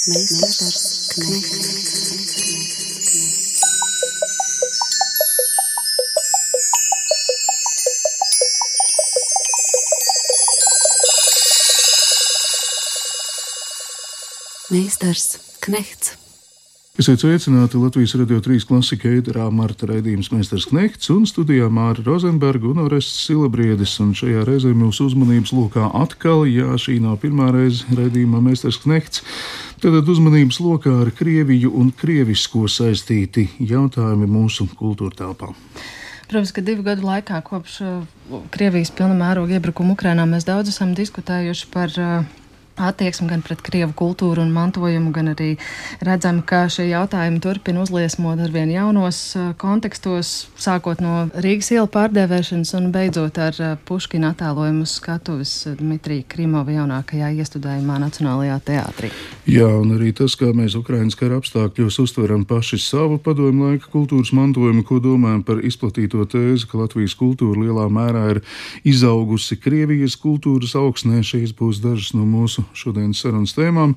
Meistars Knechts. Meistars Knechts. Esiet sveicināti Latvijas Radio 3 klasika ēterā Marta raidījums Meistars Knechts un studijā Māra Rozenberga un Orests Silabriedis. Un šajā reizē mūsu uzmanības lokā atkal, šī nav pirmā reize raidījumā Meistars Knechts, tad uzmanības lokā ar Krieviju un krievisko saistīti jautājumi mūsu kultūra telpā. Protams, ka 2 gadu laikā kopš Krievijas pilna mēroga iebrukuma Ukrainā mēs daudz esam diskutējuši par attieksmi gan pret krievu kultūru un mantojumu, gan arī redzam, ka šie jautājumi turpina uzliesmot arvien jaunos kontekstos, sākot no Rīgas ielu pārdēvēšanas un beidzot ar Puškina attēlojumu skatuves Dmitrija Krimova jaunākajā iestudējumā Nacionālajā teātrī. Jā, un arī tas, kā mēs Ukrainas kara apstākļos uztveram paši savu padomju laika kultūras mantojumu, ko domājam par izplatīto tēzi, ka Latvijas kultūra lielā mērā ir izaugusi Krievijas kultūras augsnē. Šīs būs dažas no mūsu šodienas sarunas tēmām.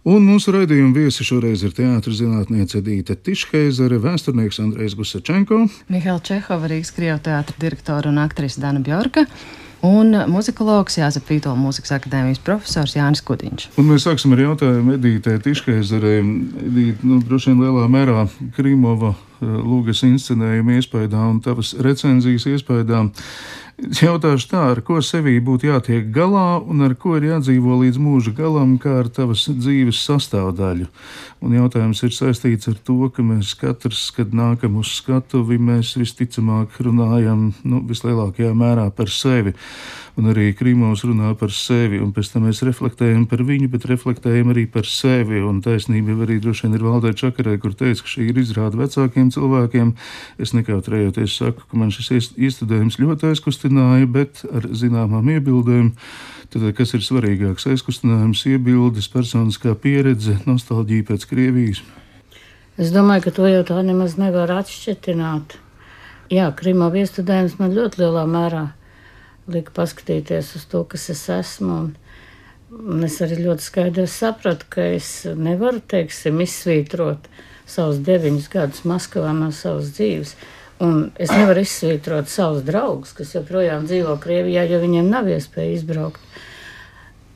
Un mūsu raidījuma viesi šoreiz ir teātra zinātniece Edīte Tišheizere, vēsturnieks Andrejs Gusačenko, Mihaila Čehova, Rīgas Krievu teātra direktora un aktrise Dana Bjorka un muzikologs Jāzep Vītola Mūzikas akadēmijas profesors Jānis Kudiņš. Un mēs sāksim ar jautājumu Edītei Tišheizerei. Edīte, droši vien lielā mērā Krimova lūgas inscenējuma iespējā un tavas recenzijas iespējā. Jautāšu tā, ar ko sevī būtu jātiek galā un ar ko ir jādzīvo līdz mūža galam, kā ar tavas dzīves sastāvdaļu. Un jautājums ir saistīts ar to, ka mēs katrs, kad nākam uz skatuvi, mēs visticamāk runājam, vislielākajā mērā par sevi. Un arī Krimovs runā par sevi, un pēc tam mēs reflektējam par viņu, bet reflektējam arī par sevi. Un taisnība arī droši vien ir Valdai Čakarai, kur teica, ka šī ir izrāda vecākiem cilvēkiem. Es nekautrējoties saku, ka man šis iestudējums ļoti aizkustināja, bet ar zināmām iebildēm. Tad, kas ir svarīgāks? Aizkustinājums, iebildes, personiskā pieredze, nostalģija pēc Krievijas? Es domāju, ka to jau tā nemaz nevar atšķetināt. Jā, Krimova iestudējums man ļoti lielā mērā lika paskatīties uz to, kas es esmu. Un es arī ļoti skaidri sapratu, ka es nevaru, izsvītrot savus 9 gadus Maskavā no savas dzīves. Un es nevaru izsvītrot savus draugus, kas joprojām dzīvo Krievijā, jo viņiem nav iespēja izbraukt.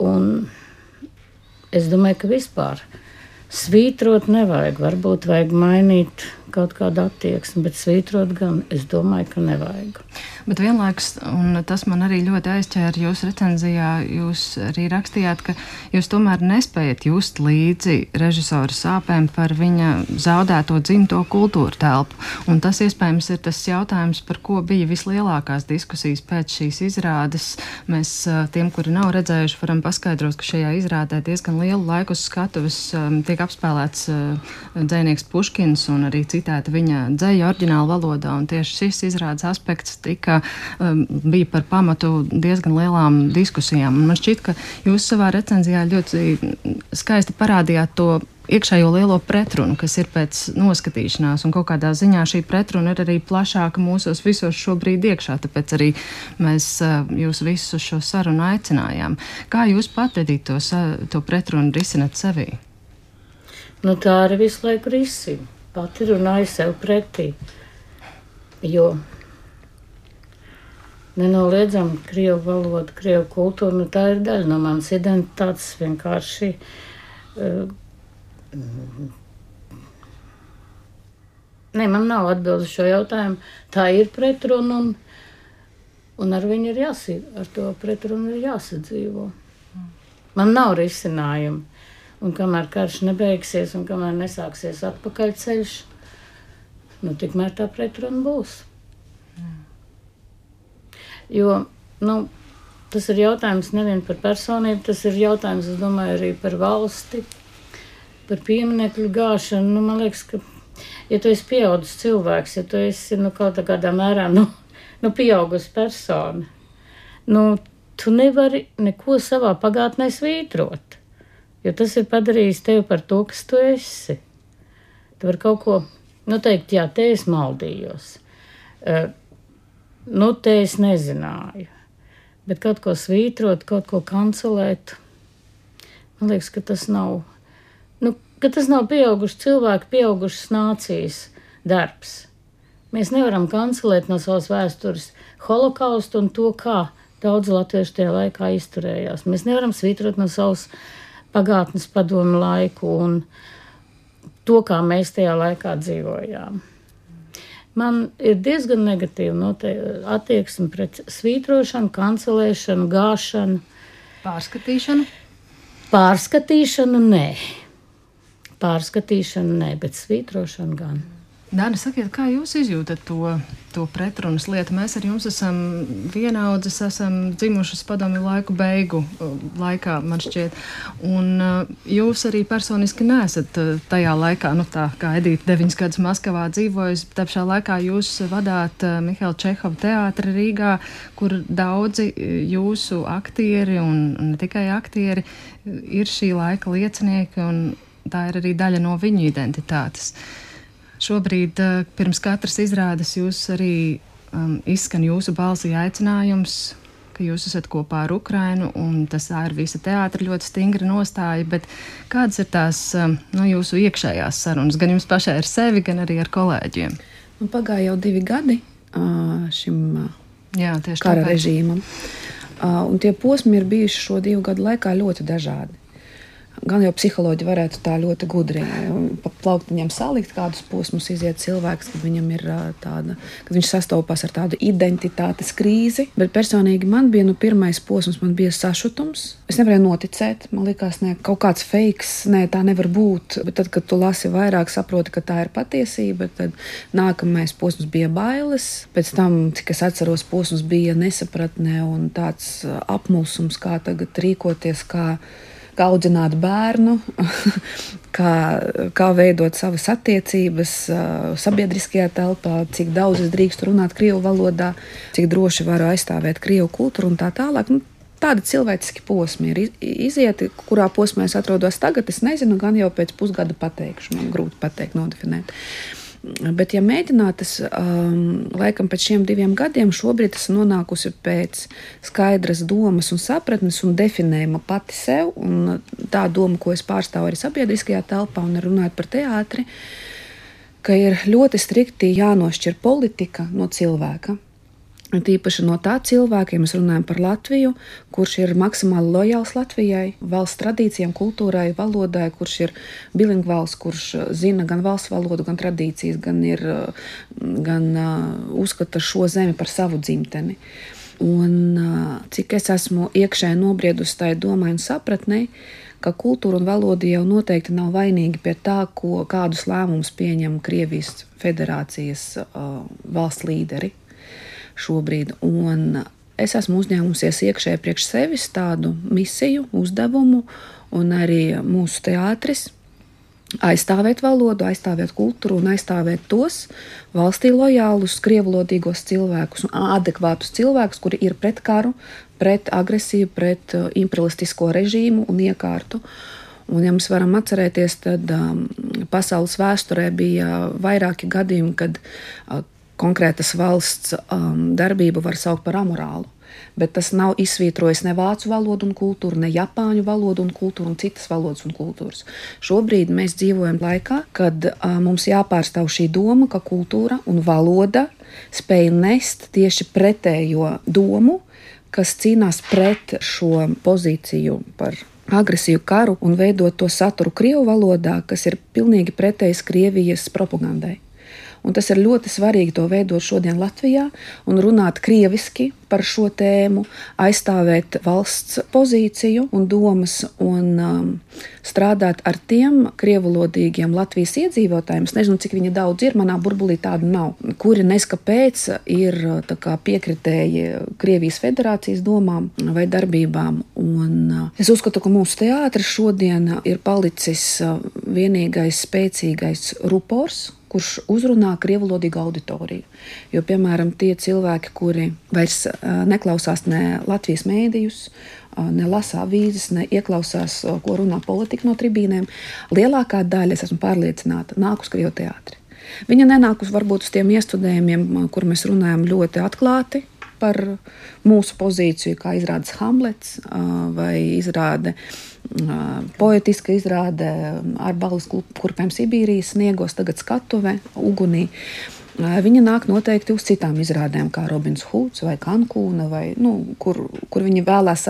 Un es domāju, ka vispār svītrot nevajag. Varbūt vajag mainīt kaut kādu attieksmi, bet svītrot gan es domāju, ka nevajag. Bet vienlaikus, un tas man arī ļoti aizķēra jūsu recenzijā, jūs arī rakstījāt, ka jūs tomēr nespējat just līdzi režisora sāpēm par viņa zaudēto dzimto kultūra telpu. Un tas iespējams ir tas jautājums, par ko bija vislielākās diskusijas pēc šīs izrādes. Mēs tiem, kuri nav redzējuši, varam paskaidrot, ka šajā izrādē diezgan lielu laiku uz skatuves tiek apspēlēts dzejnieks Puškins un arī citēta viņa dzeja oriģināla valodā. Un tieši šis izrādes aspekts bija par pamatu diezgan lielām diskusijām. Un man šķiet, ka jūs savā recenzijā ļoti skaisti parādījāt to iekšējo lielo pretrunu, kas ir pēc noskatīšanās, un kaut kādā ziņā šī pretruna ir arī plašāka mūsos visos šobrīd iekšā, tāpēc arī mēs jūs visus uz šo sarunu aicinājām. Kā jūs pat, Edīte, to pretrunu risinat sevī? Tā arī visu laiku risina. Pati runāju sev pretī, jo nenoliedzami krievu valoda, krievu kultūra, tā ir daļa no manas identitātes vienkārši. Man nav atbildi šo jautājumu. Tā ir pretruna un ar viņu ar to pretrunu ir jāsadzīvo. Man nav risinājumu. Un kamēr karš nebeigsies un kamēr nesāksies atpakaļceļš, tikmēr tā pretruna būs. Jo, tas ir jautājums nevien par personību, tas ir jautājums, es domāju, arī par valsti, par pieminekļu gāšanu. Man liekas, ka, ja tu esi pieaudzis cilvēks, ja tu esi, kaut kādā mērā, pieaugusi persona, tu nevari neko savā pagātnē svītrot, jo tas ir padarījis tevi par to, kas tu esi. Tu vari kaut ko, teikt, jā, te es maldījos. Te es nezināju, bet kaut ko svītrot, kaut ko kancelēt, man liekas, ka tas nav, ka tas nav pieauguši cilvēki, pieaugušas nācijas darbs. Mēs nevaram kancelēt no savas vēstures holokaustu un to, kā daudz latviešu tajā laikā izturējās. Mēs nevaram svītrot no savas pagātnes padomu laiku un to, kā mēs tajā laikā dzīvojām. Man ir diezgan negatīva attieksme pret svītrošanu, kancelēšanu, gāšanu. Pārskatīšanu? Pārskatīšanu nē. Pārskatīšanu nē, bet svītrošanu gan. Dāna, sakiet, kā jūs izjūtat to pretrunas lietu? Mēs ar jums esam vienaudzes, esam dzimušas padomju laiku beigu laikā, man šķiet. Un jūs arī personiski neesat tajā laikā, tā kā Edīte 9 gadus Maskavā dzīvojas, tā pašā laikā jūs vadāt Mihaila Čehova teātri Rīgā, kur daudzi jūsu aktieri un ne tikai aktieri ir šī laika liecinieki, un tā ir arī daļa no viņu identitātes. Šobrīd pirms katras izrādes jūs arī izskan jūsu balsī aicinājums, ka jūs esat kopā ar Ukrainu, un tas ir visa teātra ļoti stingra nostāja, bet kādas ir tās jūsu iekšējās sarunas, gan jums pašai ar sevi, gan arī ar kolēģiem? Pagāja jau 2 gadi šim kara režīmam, un tie posmi ir bijuši šo 2 gadu laikā ļoti dažādi. Gan jau psiholoģi varētu tā ļoti gudri pa plauktiņiem salikt, kādus posmus iziet cilvēks, kad viņam ir tāda, kad viņš sastopas ar tādu identitātes krīzi. Bet personīgi man bija pirmais posms, man bija sašutums. Es nevarēju noticēt, man likās, kaut kāds fakes, tā nevar būt. Bet tad, kad tu lasi vairāk, saproti, ka tā ir patiesība, tad nākamais posms bija bailes. Pēc tam, cik es atceros, posms bija nesapratne un tāds apmulsums, kā tagad rīkoties, kā audzināt bērnu, kā veidot savas attiecības sabiedriskajā telpā, cik daudz es drīkstu runāt krievu valodā, cik droši varu aizstāvēt krievu kultūru un tā tālāk. Tādi cilvēciski posmi ir izieti, kurā posmā es atrodos tagad, es nezinu, gan jau pēc pusgada pateikšu, man grūti pateikt, nodefinēt. Bet, ja mēģināt, es laikam pēc šiem 2 gadiem šobrīd esmu nonākusi pēc skaidras domas un sapratnes un definējuma pati sev, un tā doma, ko es pārstāvu arī sabiedriskajā telpā un runājot par teātri, ka ir ļoti strikti jānošķir politika no cilvēka. Tīpaši no tā cilvēka, ja mēs runājam par Latviju, kurš ir maksimāli lojāls Latvijai, valsts tradīcijām, kultūrai, valodai, kurš ir bilingvāls, kurš zina gan valsts valodu, gan tradīcijas, gan uzskata šo zemi par savu dzimteni. Un cik es esmu iekšēji nobriedusi tai domai un sapratnei, ka kultūra un valoda jau noteikti nav vainīgi pie tā, kādus lēmumus pieņem Krievijas federācijas valsts līderi šobrīd. Un es esmu uzņēmusies iekšēji priekš sevis tādu misiju, uzdevumu, un arī mūsu teātris aizstāvēt valodu, aizstāvēt kultūru un aizstāvēt tos valstī lojālus, krievulodīgos cilvēkus un adekvātus cilvēkus, kuri ir pret karu, pret agresiju, pret imperialistisko režīmu un iekārtu. Un, ja mēs varam atcerēties, tad pasaules vēsturē bija vairāki gadījumi, kad konkrētas valsts darbību var saukt par amorālu, bet tas nav izsvītrojis ne vācu valodu un kultūru, ne japāņu valodu un kultūru un citas valodas un kultūras. Šobrīd mēs dzīvojam laikā, kad mums jāpārstāv šī doma, ka kultūra un valoda spēj nest tieši pretējo domu, kas cīnās pret šo pozīciju par agresiju karu un veidot to saturu krievu valodā, kas ir pilnīgi pretējs Krievijas propagandai. Un tas ir ļoti svarīgi to veidot šodien Latvijā un runāt krieviski par šo tēmu, aizstāvēt valsts pozīciju un domas un strādāt ar tiem krievulodīgiem Latvijas iedzīvotājiem. Es nezinu, cik viņi daudz ir, manā burbulī tādu nav, kuri neskapēc ir piekritēji Krievijas federācijas domām vai darbībām. Un es uzskatu, ka mūsu teātris šodien ir palicis vienīgais spēcīgais rupors, kurš uzrunā krievulodīgu auditoriju. Jo, piemēram, tie cilvēki, kuri vairs neklausās ne Latvijas mēdījus, ne lasa avīzes, ne ieklausās, ko runā politika no tribīnēm, lielākā daļa, es esmu pārliecināta, nāk uz krievu teātri. Viņa nenāk uz varbūt uz tiem iestudējumiem, kur mēs runājam ļoti atklāti, par mūsu pozīciju, kā izrādes Hamlets vai izrāde poetiska izrāde ar balles kurpēm Sibīrijas sniegos, tagad skatuve, ugunī. Viņa nāk noteikti uz citām izrādēm, kā Robins Hoods vai Kankūna, vai, kur viņi vēlās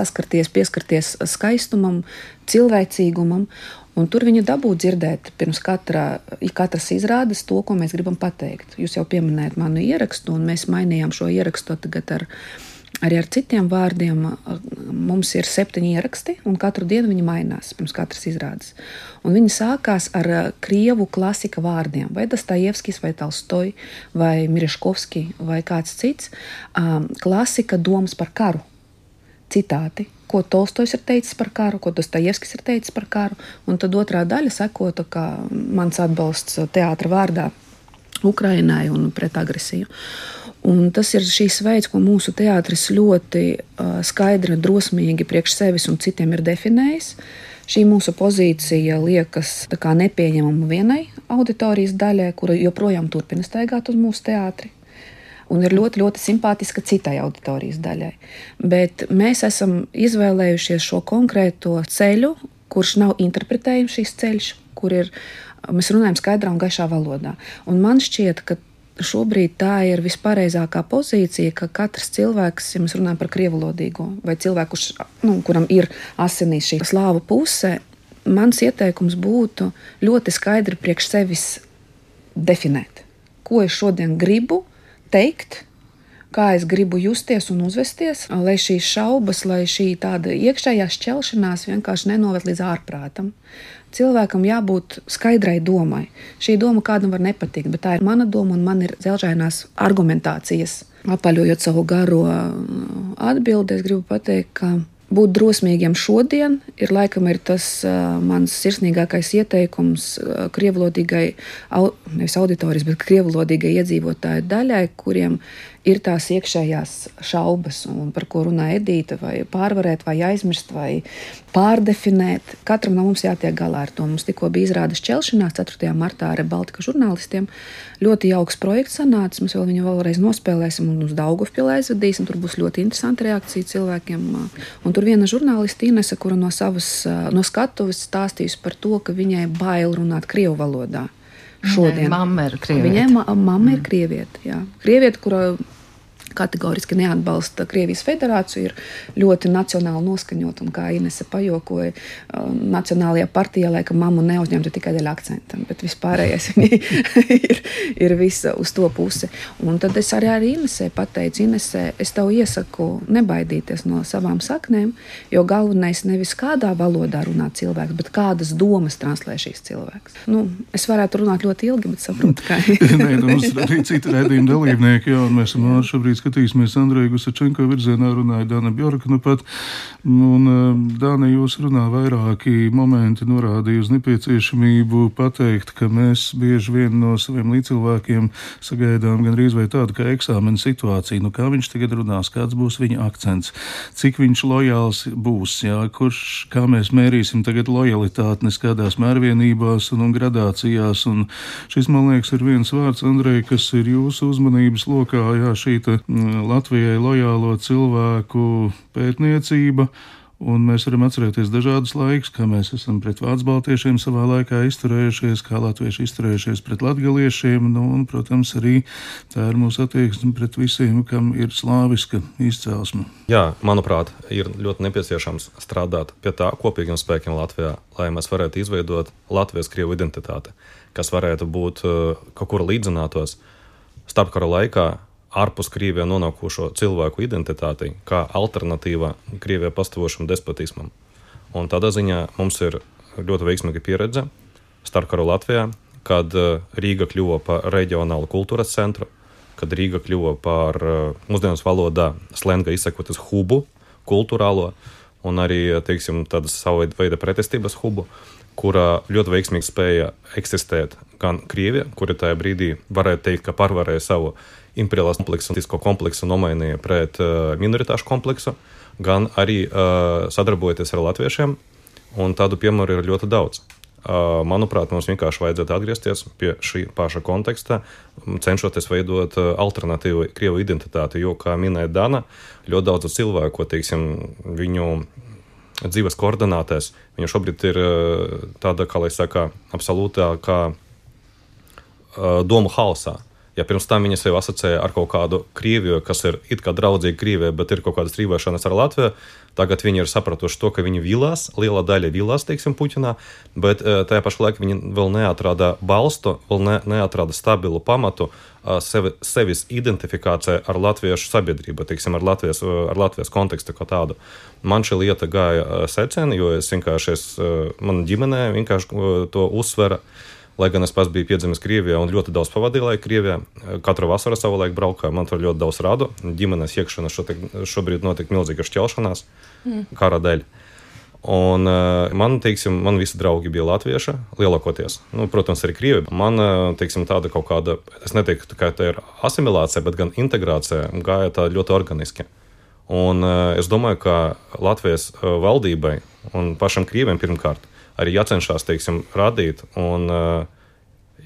pieskarties skaistumam, cilvēcīgumam, un tur viņa dabū dzirdēt pirms katras izrādes to, ko mēs gribam pateikt. Jūs jau pieminējat manu ierakstu, un mēs mainījām šo ierakstu tagad arī ar citiem vārdiem. Mums ir 7 ieraksti, un katru dienu viņi mainās pirms katras izrādes. Un viņi sākās ar krievu klasika vārdiem, vai Dostojevskis, vai Tolstoj, vai Miriškovski, vai kāds cits. Klasika domas par karu, citāti, ko Tolstojs ir teicis par karu, ko Dostojevskis ir teicis par karu, un tad otrā daļa sekota, kā mans atbalsts teātra vārdā Ukrainai un pret agresiju. Un tas ir šīs veids, ko mūsu teātris ļoti skaidri un drosmīgi priekš sevis un citiem ir definējis. Šī mūsu pozīcija liekas tā kā nepieņemama vienai auditorijas daļai, kura joprojām turpina staigāt uz mūsu teātri. Un ir ļoti, ļoti simpātiska citai auditorijas daļai. Bet mēs esam izvēlējušies šo konkrēto ceļu, kurš nav interpretējams šīs ceļš, mēs runājam skaidrā un gaišā valodā. Un man šķiet, ka šobrīd tā ir vispareizākā pozīcija, ka katrs cilvēks, ja mēs runājam par krievulodīgo, vai cilvēku, kuram ir asinīs šī slāvu puse, mans ieteikums būtu ļoti skaidri priekš sevis definēt, ko es šodien gribu teikt, kā es gribu justies un uzvesties, lai šīs šaubas, lai šī tāda iekšējā šķelšanās vienkārši nenoved līdz ārprātam. Cilvēkam jābūt skaidrai domai. Šī doma kādam var nepatikt, bet tā ir mana doma un man ir dzelžainās argumentācijas. Apaļojot savu garo atbildi, es gribu pateikt, ka būt drosmīgiem šodien ir tas mans sirsnīgākais ieteikums krievulodīgai, nevis auditorijas, bet krievulodīgai iedzīvotāju daļai, kuriem ir tās iekšējās šaubas, un par ko runā Edīta, vai pārvarēt, vai aizmirst, vai pārdefinēt. Katram no mums jātiek galā ar to. Mums tikko bija izrāde Šķelšanās 4. martā ar Baltika žurnālistiem. Ļoti jauks projekts sanācis, mēs viņu vēlreiz nospēlēsim un uz Daugavpili aizvedīsim. Tur būs ļoti interesanta reakcija cilvēkiem. Un tur viena žurnāliste Inese, kura no skatuves stāstījusi par to, ka viņai bail runāt krievu valodā. Šodien. Mamma ir krieviete. Viņai mamma ir krieviete, jā. Krieviete, kura kategoriski neatbalsta Krievijas federāciju, ir ļoti nacionāli noskaņot, un kā Inese pajokoja, nacionālajā partijā, ka mammu neuzņemtu tikai dēļ akcentam, bet vispārējais ir visa uz to pusi. Un tad es arī Inesē pateicu, Inese, es tev iesaku nebaidīties no savām saknēm, jo galvenais nevis kādā valodā runā cilvēks, bet kādas domas translē šīs cilvēks. Es varētu runāt ļoti ilgi, bet saprotu, kā. Nē, mums ir arī citi raidījuma dalībnieki, un mēs šobrīd skatīsimies Andreja Gusačenko virzienā, runāja Dana Bjorka pat. Un, Dana, jūs runā vairāki momenti norādīja uz nepieciešamību pateikt, ka mēs bieži vien no saviem līdzcilvēkiem sagaidām gan rīz vai tādu kā eksāmena situāciju. Kā viņš tagad runās, kāds būs viņa akcents, cik viņš lojāls būs, kā mēs mērīsim tagad lojalitāti neskādās mērvienībās un gradācijās. Un šis, man liekas, ir viens vārds, Andrej, kas ir jūsu uzmanības lokā, šīta Latvijai lojālo cilvēku pētniecība, un mēs varam atcerēties dažādus laikus, kā mēs esam pret vācu baltiešiem savā laikā izturējušies, kā latvieši izturējušies pret latgaliešiem, un, protams, arī tā ir mūsu attieksme pret visiem, kam ir slāviska izcelsme. Jā, manuprāt, ir ļoti nepieciešams strādāt pie tā kopīgiem spēkiem Latvijā, lai mēs varētu izveidot Latvijas-Krievu identitāti, kas varētu būt kaut kur līdzinātos starpkara laikā ārpus Krievijā nonākušo cilvēku identitāti, kā alternatīva Krievijā pastāvošam despotismam. Un tādā ziņā mums ir ļoti veiksmīga pieredze starpkaru Latvijā, kad Rīga kļuva par reģionālu kultūras centru, kad Rīga kļuva par mūsdienas valodā slenga izsakoties hubu, kultūrālo, un arī, tādas savu veida pretestības hubu, kura ļoti veiksmīgi spēja eksistēt gan Krievija, kura tajā brīdī varētu teikt, ka pārvarēja savu imperiālās kompleksu nomainīja pret minoritāšu kompleksu, gan arī sadarbojoties ar latviešiem, un tādu piemēru ir ļoti daudz. Manuprāt, mums vienkārši vajadzētu atgriezties pie šī paša konteksta, cenšoties veidot alternatīvu Krievu identitāti, jo, kā minēja Dana, ļoti daudz cilvēku, ko, teiksim, viņu dzīves koordinātēs, viņa šobrīd ir tāda, kā lai saka, absolūtā kā domu hausā. Ja pirms tam viņa sevi asociēja ar kaut kādu Krieviju, kas ir it kā draudzīga Krievija, bet ir kaut kādas strīvēšanas ar Latviju, tagad viņi ir sapratuši to, ka viņi vilās, liela daļa vilās, teiksim, Puķinā, bet tajā pašā laikā viņi vēl neatrada balstu, vēl neatrada stabilu pamatu sevis identifikācija ar latviešu sabiedrību, teiksim, ar Latvijas kontekstu kā tādu. Man šī lieta gāja seceni, jo man ģimenē vienkārši to uzsvera. Lai gan es pats biju piedzimis Krievijā un ļoti daudz pavadīju laiku Krievijā, katru vasaru savulaik braukāju, man tur ļoti daudz rādu. Ģimenes iekšana šobrīd notiek milzīga šķelšanās kara dēļ. Un man visi draugi bija latvieši, lielākoties. Protams, arī Krievi. Man, teiksim, tāda kaut kāda, es neteiktu, ka tā ir asimilācija, bet gan integrācija gāja tā ļoti organiski. Un es domāju, ka Latvijas valdībai un pašam Krieviem pirmkārt arī jācenšas, teiksim, radīt un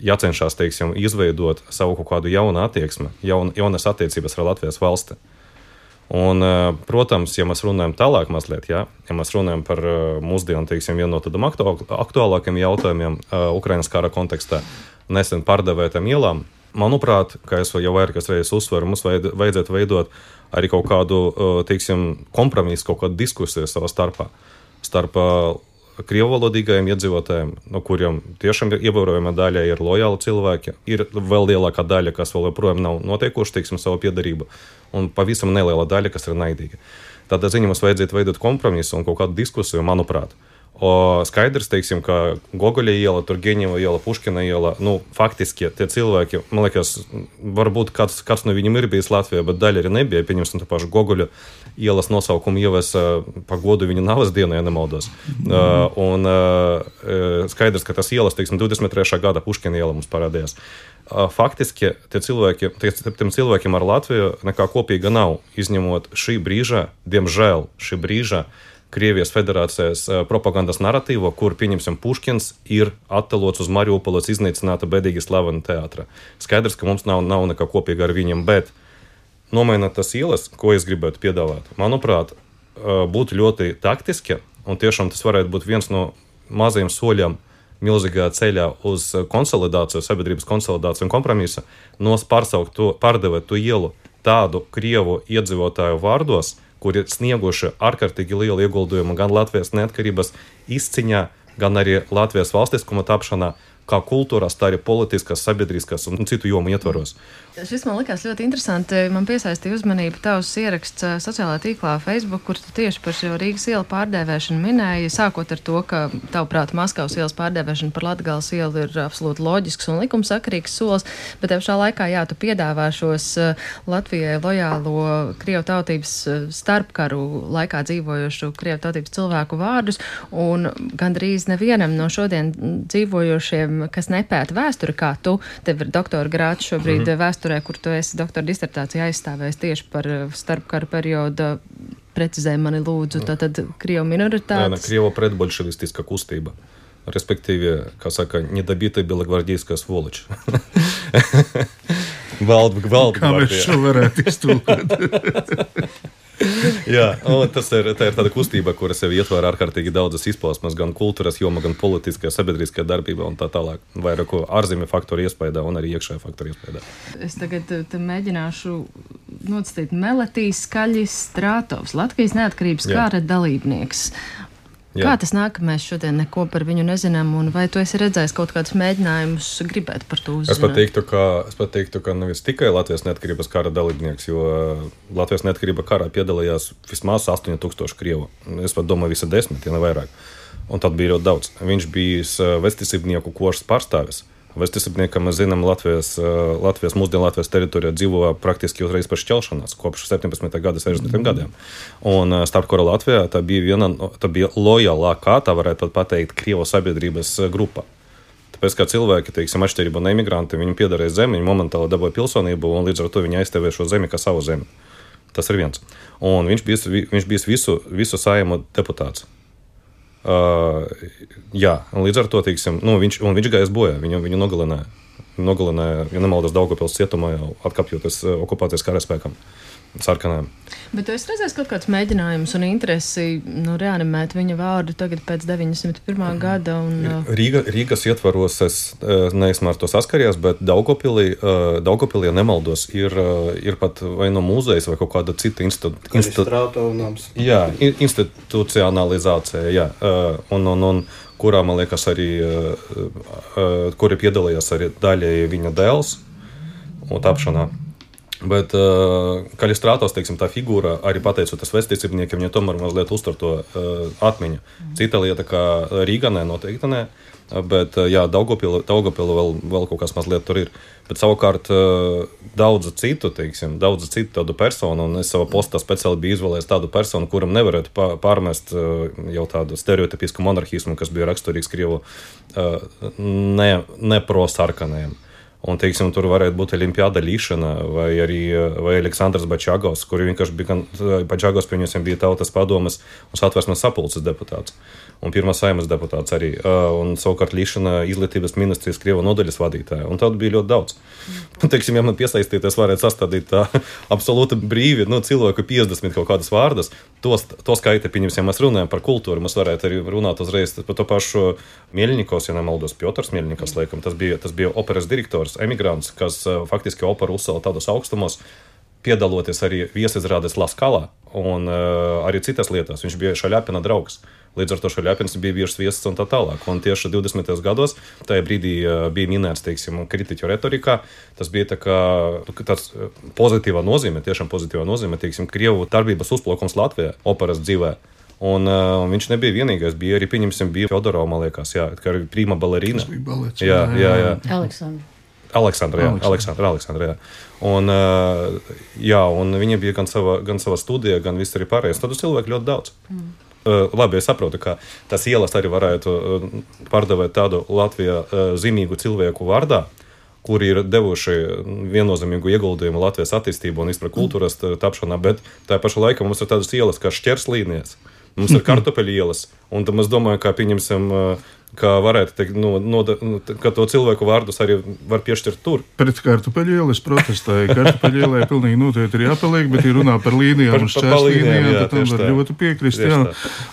jācenšas, teiksim, izveidot savu kaut kādu jaunu attieksmi, jaunas attiecības ar Latvijas valsti. Un, protams, ja mēs runājam tālāk mazliet, ja mēs runājam par mūsdienu, teiksim, vienu no tādiem aktuālākiem jautājumiem Ukrainas kara kontekstā, nesen pārdevētām ielām, manuprāt, kā es jau vairākas reizes uzsveru, mums vajadzētu veidot arī kaut kādu, teiksim, kompromisu, kaut kādu diskusiju savā starp krievvalodīgajiem iedzīvotājiem, no kuriem tiešām ievērojama daļa ir lojāli cilvēki, ir vēl lielākā daļa, kas vēl joprojām nav noteikuši, teiksim, savu piedarību, un pavisam neliela daļa, kas ir naidīga. Tādā ziņā mums vajadzētu veidot kompromisu un kaut kādu diskusiju, manuprāt. Skaidrs, teiksim, ka Gogoļa iela, Turgeņeva iela, Puškina iela, faktiski tie cilvēki, man liekas, varbūt kāds no viņiem ir bijis Latvijā, bet daļa arī nebija. Pieņemsim to pašu Gogoļa ielas nosaukumu ievesa pa godu viņa navas dienā, ja nemaldos. Un skaidrs, ka tas ielas, teiksim, 23. gada Puškina iela mums parādījās. Faktiski tiem cilvēkiem ar Latviju nekā kopīga nav, izņemot šī brīža, diemžēl šī brīža, Krievijas federācijas propagandas narratīvo, kur, pieņemsim, Puškins ir attēlots uz Mariupoles iznīcināta bēdīgi slavena teātra. Skaidrs, ka mums nav nekā kopīga ar viņiem, bet nomainot tas ielas, ko es gribētu piedāvāt, manuprāt, būtu ļoti taktiski, un tiešām tas varētu būt viens no mazajiem soļiem milzīgā ceļā uz konsolidāciju, sabiedrības konsolidāciju un kompromisu, pārdevēt to ielu tādu Krievu iedzīvotāju vārdos, kuri snieguši ārkārtīgi lielu ieguldījumu gan Latvijas neatkarības izciņā, gan arī Latvijas valstiskuma tapšanā, kā kultūras, tā arī politiskas, sabiedriskas un citu jomu ietvaros. Šis man likās ļoti interesanti. Man piesaistīja uzmanību tavs ieraksts sociālajā tīklā Facebook, kur tu tieši par šo Rīgas ielu pārdēvēšanu minēji, sākot ar to, ka tavuprāt Maskavas ielas pārdēvēšana par Latgales ielu ir absolūti loģisks un likumsakarīgs solis, bet tev šā laikā, tu piedāvā šos Latvijai lojālo Krievu tautības starpkaru laikā dzīvojošu Krievu tautības cilvēku vārdus, un gandrīz nevienam no šodien dzīvojošiem, kas nepēta vēsturi, kā tu, tev ir doktora grāts šobrīd vēsturē, kur tu esi doktora disertāciju aizstāvējis tieši par starpkaru periodu, precizē mani lūdzu, tātad Krievu minoritātes. Krievo predbolševistiska kustība. Respektīvi, kā saka, недобитая белогвардейская сволочь. Kā mēs šo varētu iztulkot? Jā, tā ir tāda kustība, kura sevi ietver ārkārtīgi daudzas izpausmes, gan kultūras joma, gan politiskajā, sabiedriskajā darbībā un tā tālāk. Vairāku ārzemju faktoru iespējā un arī iekšējā faktoru iespējā. Es tagad mēģināšu nocitīt Meletīs Skaļis Strātovs, Latvijas neatkarības kara dalībnieks. Jā. Kā tas nāk, ka mēs šodien neko par viņu nezinām, un vai tu esi redzējis kaut kādus mēģinājumus gribēt par to uzzināt? Es pat teiktu, ka nevis tikai Latvijas neatkarības kara dalībnieks, jo Latvijas neatkarība karā piedalījās vismaz 8000 Krievu. Es pat domāju, visi 10, ja ne vairāk. Un tad bija ļoti daudz. Viņš bija vestisībnieku košas pārstāvis. Vestisībniekam, mēs zinām, mūsdienu Latvijas teritorijā dzīvo praktiski uzreiz pēc šķelšanās, kopš 17. gada, 60. gadiem. Un starpkara Latvijā tā bija lojālākā, tā varētu pateikt, Krievu sabiedrības grupa. Tāpēc, kā cilvēki, teiksim, atšķirībā no imigranti, viņi piederēja zemi, viņi momentāli dabūja pilsonību, un līdz ar to viņi aizstāvēja šo zemi kā savu zemi. Tas ir viens. Un viņš bija visu Saimu deputāts. Jā, un līdz ar to, teiksim, viņš gājas bojā, viņu nogalināja. Ja nemaldos, Daugavpils cietumā jau atkapjoties okupācijas karaspēkam, sarkanajam. Bet tu esi redzējis kaut kāds mēģinājums un interesi reanimēt viņa vārdu tagad pēc 901. gada? Rīgas ietvaros es neesmu ar to saskaries, bet Daugavpilī, ja nemaldos, ir pat vai no mūzejas vai kaut kāda cita institucionalizācija, jā. Un kurā, man liekas, arī, kuri piedalījās arī daļēji viņa dēls un tapšanā. Bet Kalistrātos, teiksim, tā figūra, arī pateicoties vēstniecībniekiem, viņa tomēr mazliet uztur to atmiņu. Cita lieta, kā Rīganē noteikti ne, bet jā, Daugavpila vēl kaut kas mazliet tur ir. Bet savukārt daudzu citu tādu personu, un es savā postā speciāli biju izvēlējis tādu personu, kuram nevarētu pārmest jau tādu stereotipisku monarhismu, kas bija raksturīgs Krievu neprosarkanajiem. Un, teiksim, tur varētu būt Olimpiāda Līšana vai Aleksandrs Bačagovs, kuri vienkārši bija, Bačagovs pieņemsim bija Tautas padomes un Satversmes sapulces deputāts. Un pirmā Saeimas deputāts arī. Un savukārt Līšana izglītības ministrijas Krievu nodaļas vadītāja. Un tādu bija ļoti daudz. Un, teiksim, ja man piesaistīties, varētu sastādīt tā absolūti brīvi, cilvēku 50 kaut kādas vārdas. To skaita, pieņemsim, ja mēs runājam par kultūru, mēs varētu arī runāt uzreiz par to pašu Mielņikovs, ja nemaldos, Piotrs Mielņikovs, laikam, tas bija operas direktors, emigrants, kas faktiski operu uzcēla tādos augstumos, piedaloties arī viesizrādes Laskalā un arī citas lietās. Viņš bija Šaļapina draugs. Līdz ar to Šaļapins bija bijušas viesis un tā tālāk. Un tieši 20. gados tajā brīdī bija minēts, teiksim, kritiķu retorikā. Tas bija tāds pozitīvā nozīme, tiešām pozitīvā nozīme, teiksim, Krievu darbības uzplaukums Latvijā, operas dzīvē. Un viņš nebija vienīgais, bija arī, pieņemsim, bija Fjodorova, man liekas, jā, kā arī prima balerīna. Tas bija balets. Jā. Aleksandra, jā. Un viņa bija gan sava studija, gan viss arī pārējais. Tādu cilvēku ļoti daudz. Labi, es saprotu, ka tas ielas arī varētu pārdevēt tādu Latvijā zīmīgu cilvēku vārdā, kuri ir devuši viennozīmīgu ieguldījumu Latvijas attīstību un vispār kultūras tapšanā, bet tā paša laikā mums ir tādas ielas kā Šķerslīnijas, mums ir Kartupeļu ielas, un tad mēs domājam, kā pieņemsim, ka varētu teikt, ka to cilvēku vārdus arī var piešķirt tur. Pret Kartupeļu ielu es protestēju. Kartupeļu ielai pilnīgi noteikti ir jāpaliek, bet ir runā par līnijām un šķērslīnijām, tad tam var ļoti piekrist. Jā.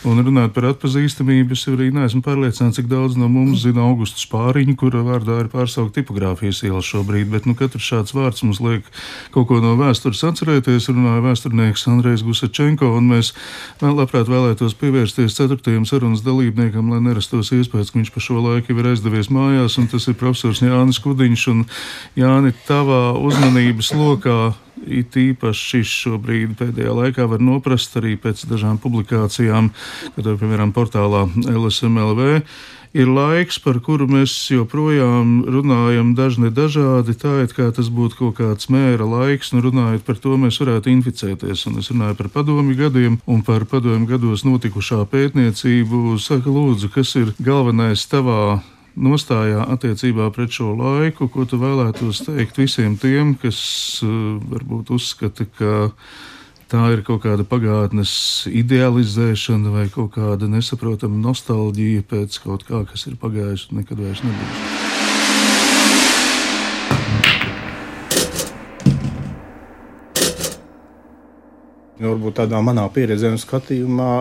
Un runāt par atpazīstamību, es arī neesmu pārliecināts, cik daudz no mums zina Augustu Spāriņu, kura vārdā ir pārsaukt tipogrāfijas iela šobrīd, bet katrs šāds vārds mums liek kaut ko no vēstures atcerēties. Runāja vēsturnieks Andrejs Gusačenko, un mēs labprāt vēlētos pievērsties 4. sarunas dalībniekam, lai nerastos iespējas, ka viņš pa šo laiku ir aizdevies mājās, un tas ir profesors Jānis Kudiņš. Un Jāni, tavā uzmanības lokā it īpaši šobrīd pēdējā laikā var noprast arī pēc dažām publikācijām, kad, piemēram, portālā LSMLV, ir laiks, par kuru mēs joprojām runājam dažādi, tā it kā tas būtu kaut kāds mēra laiks, runājot par to, mēs varētu inficēties. Un es runāju par padomju gadiem un par padomju gados notikušā pētniecību. Saka, lūdzu, kas ir galvenais tavā nostājā attiecībā pret šo laiku, ko tu vēlētos teikt visiem tiem, kas varbūt uzskata, ka tā ir kaut kāda pagātnes idealizēšana vai kaut kāda nesaprotama nostalģija pēc kaut kā, kas ir pagājis un nekad vairs nebūs. Varbūt tādā manā pieredzē un skatījumā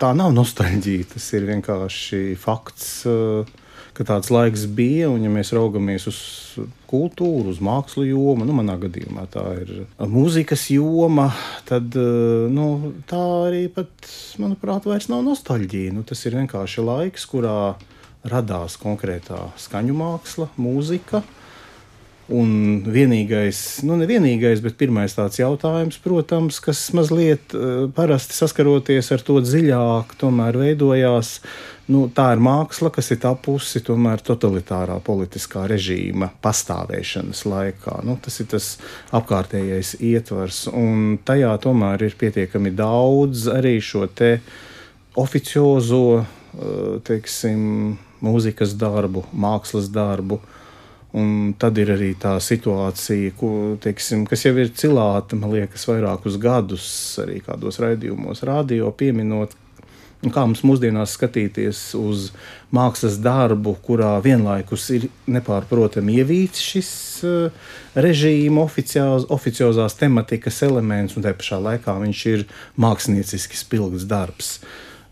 tā nav nostalģija, tas ir vienkārši fakts, ka tāds laiks bija, un ja mēs raugamies uz kultūru, uz mākslu jomu, manā gadījumā tā ir mūzikas joma, tad tā arī pat, manuprāt, vairs nav nostalģija. Tas ir vienkārši laiks, kurā radās konkrētā skaņu māksla, mūzika. Un vienīgais, nevienīgais, bet pirmais tāds jautājums, protams, kas mazliet parasti saskaroties ar to dziļāk, tomēr veidojās, tā ir māksla, kas ir tapusi tomēr totalitārā politiskā režīma pastāvēšanas laikā. Tas ir tas apkārtējais ietvars, un tajā tomēr ir pietiekami daudz arī šo te oficiozo, teiksim, mūzikas darbu, mākslas darbu. Un tad ir arī tā situācija, kas jau ir cilāta, man liekas, vairākus gadus arī kādos raidījumos radio pieminot, Un kā mums mūsdienās skatīties uz mākslas darbu, kurā vienlaikus ir nepārprotami ievīts šis režīma oficiozās tematikas elements, un tajā pašā laikā viņš ir mākslinieciski spilgts darbs.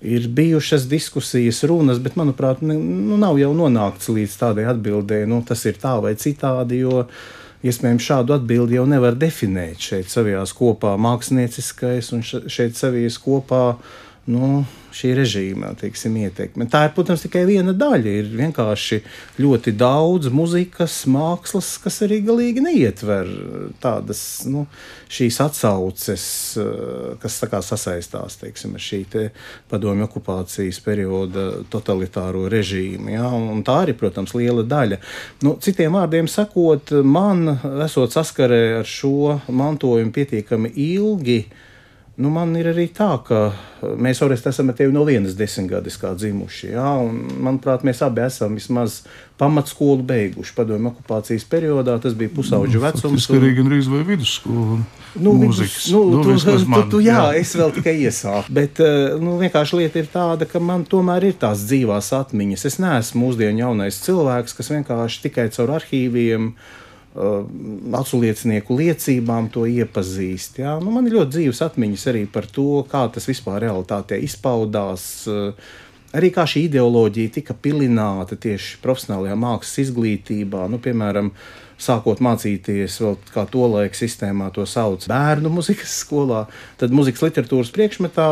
Ir bijušas diskusijas, runas, bet, manuprāt, nav jau nonākts līdz tādai atbildē, tas ir tā vai citādi, jo iespējams šādu atbildi jau nevar definēt. Šeit savijās kopā mākslinieckais un šeit savijas kopā šī režīma, ietekme. Tā ir, protams, tikai viena daļa. Ir vienkārši ļoti daudz muzikas, mākslas, kas arī galīgi neietver tādas, šīs atsauces, kas tā kā sasaistās, ar šī te padomju okupācijas perioda totalitāro režīmu. Ja? Un tā arī, protams, liela daļa. Citiem vārdiem sakot, man, esot saskarē ar šo mantojumu pietiekami ilgi, man ir arī tā, ka mēs Oresti esam ar tevi no vienas desmitgades kā dzimuši, ja? Un, manuprāt, mēs abi esam vismaz pamatskolu beiguši padomju okupācijas periodā, tas bija pusauģu vecums. Tas arī gan rīz vai vidusskolu mūzikas. Jā, es vēl tikai iesāku, bet vienkārši lieta ir tāda, ka man tomēr ir tās dzīvās atmiņas. Es neesmu mūsdienu jaunais cilvēks, kas vienkārši tikai caur arhīviem aculiecinieku liecībām to iepazīst. Ja? Man ir ļoti dzīves atmiņas arī par to, kā tas vispār realitātē izpaudās, arī kā šī ideoloģija tika pilināta tieši profesionālajā mākslas izglītībā, piemēram, sākot mācīties vēl kā tolaik sistēmā to sauc bērnu muzikas skolā, tad muzikas literatūras priekšmetā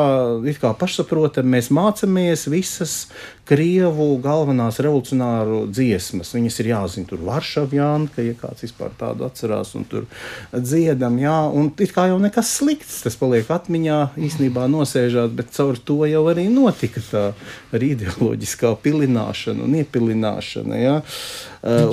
it kā pašsaprotam mēs mācamies visas Krievu galvenās revolucionāru dziesmas. Viņas ir jāzina tur Varšavjanka, ja kāds vispār tādu atcerās, un tur dziedam, jā, un it kā jau nekas slikts, tas paliek atmiņā, īstenībā nosēžāt, bet caur to jau arī notika tā arī ideoloģiskā pilināšana un iepilināšana, jā.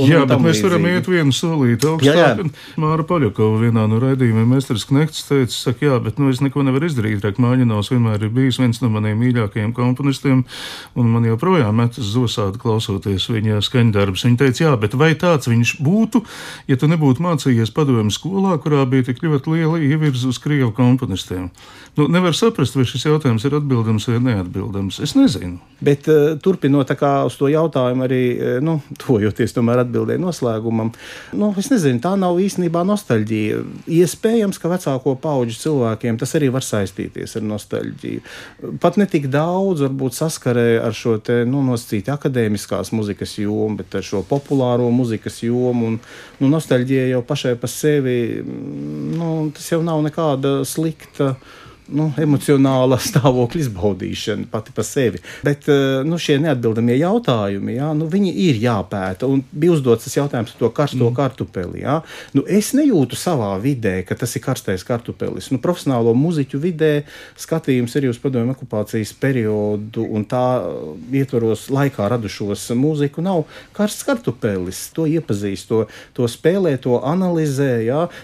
Jā, bet mēs varam iet vienu solīti augstāk. Māra Paļakova vienā no raidījumiem Mesters Knekts teica, saka, jā, bet es neko nevaru izdarīt, Rachmaņinovs vienmēr ir bijis viens no maniem mīļākajiem komponistiem, un man joprojām metas zosādi klausoties viņa skaņdarbus. Viņa teica, jā, bet vai tāds viņš būtu, ja tu nebūtu mācījies padomju skolā, kurā bija tik ļoti liela ievirza uz Krievu komponistiem? Nevar saprast, vai šis jautājums ir atbildams vai neatbildams. Es nezinu. Bet turpinot tā kā uz to jautājumu arī, tojoties tomēr atbildēja noslēgumam, es nezinu, tā nav īstenībā nostalģija. Iespējams, ka vecāko paudžu cilvēkiem tas arī var saistīties ar nostalģiju. Pat ne tik daudz, varbūt saskarē ar šo te, nosacīti akadēmiskās muzikas jomu, bet ar šo populāro muzikas jomu, un nostalģija jau pašai pa sevi, tas jau nav nekāda slikta, emocionāla stāvokļa izbaudīšana pati pa sevi. Bet šie neatbildamie jautājumi, viņi ir jāpēta. Un bija uzdots tas jautājums par to karsto kartupeli. Es nejūtu savā vidē, ka tas ir karstais kartupelis. Profesionālo muziķu vidē skatījums arī uz padomju okupācijas periodu un tā ietvaros laikā radušos mūziku nav karsts kartupelis. To iepazīst, to spēlē, to analizē.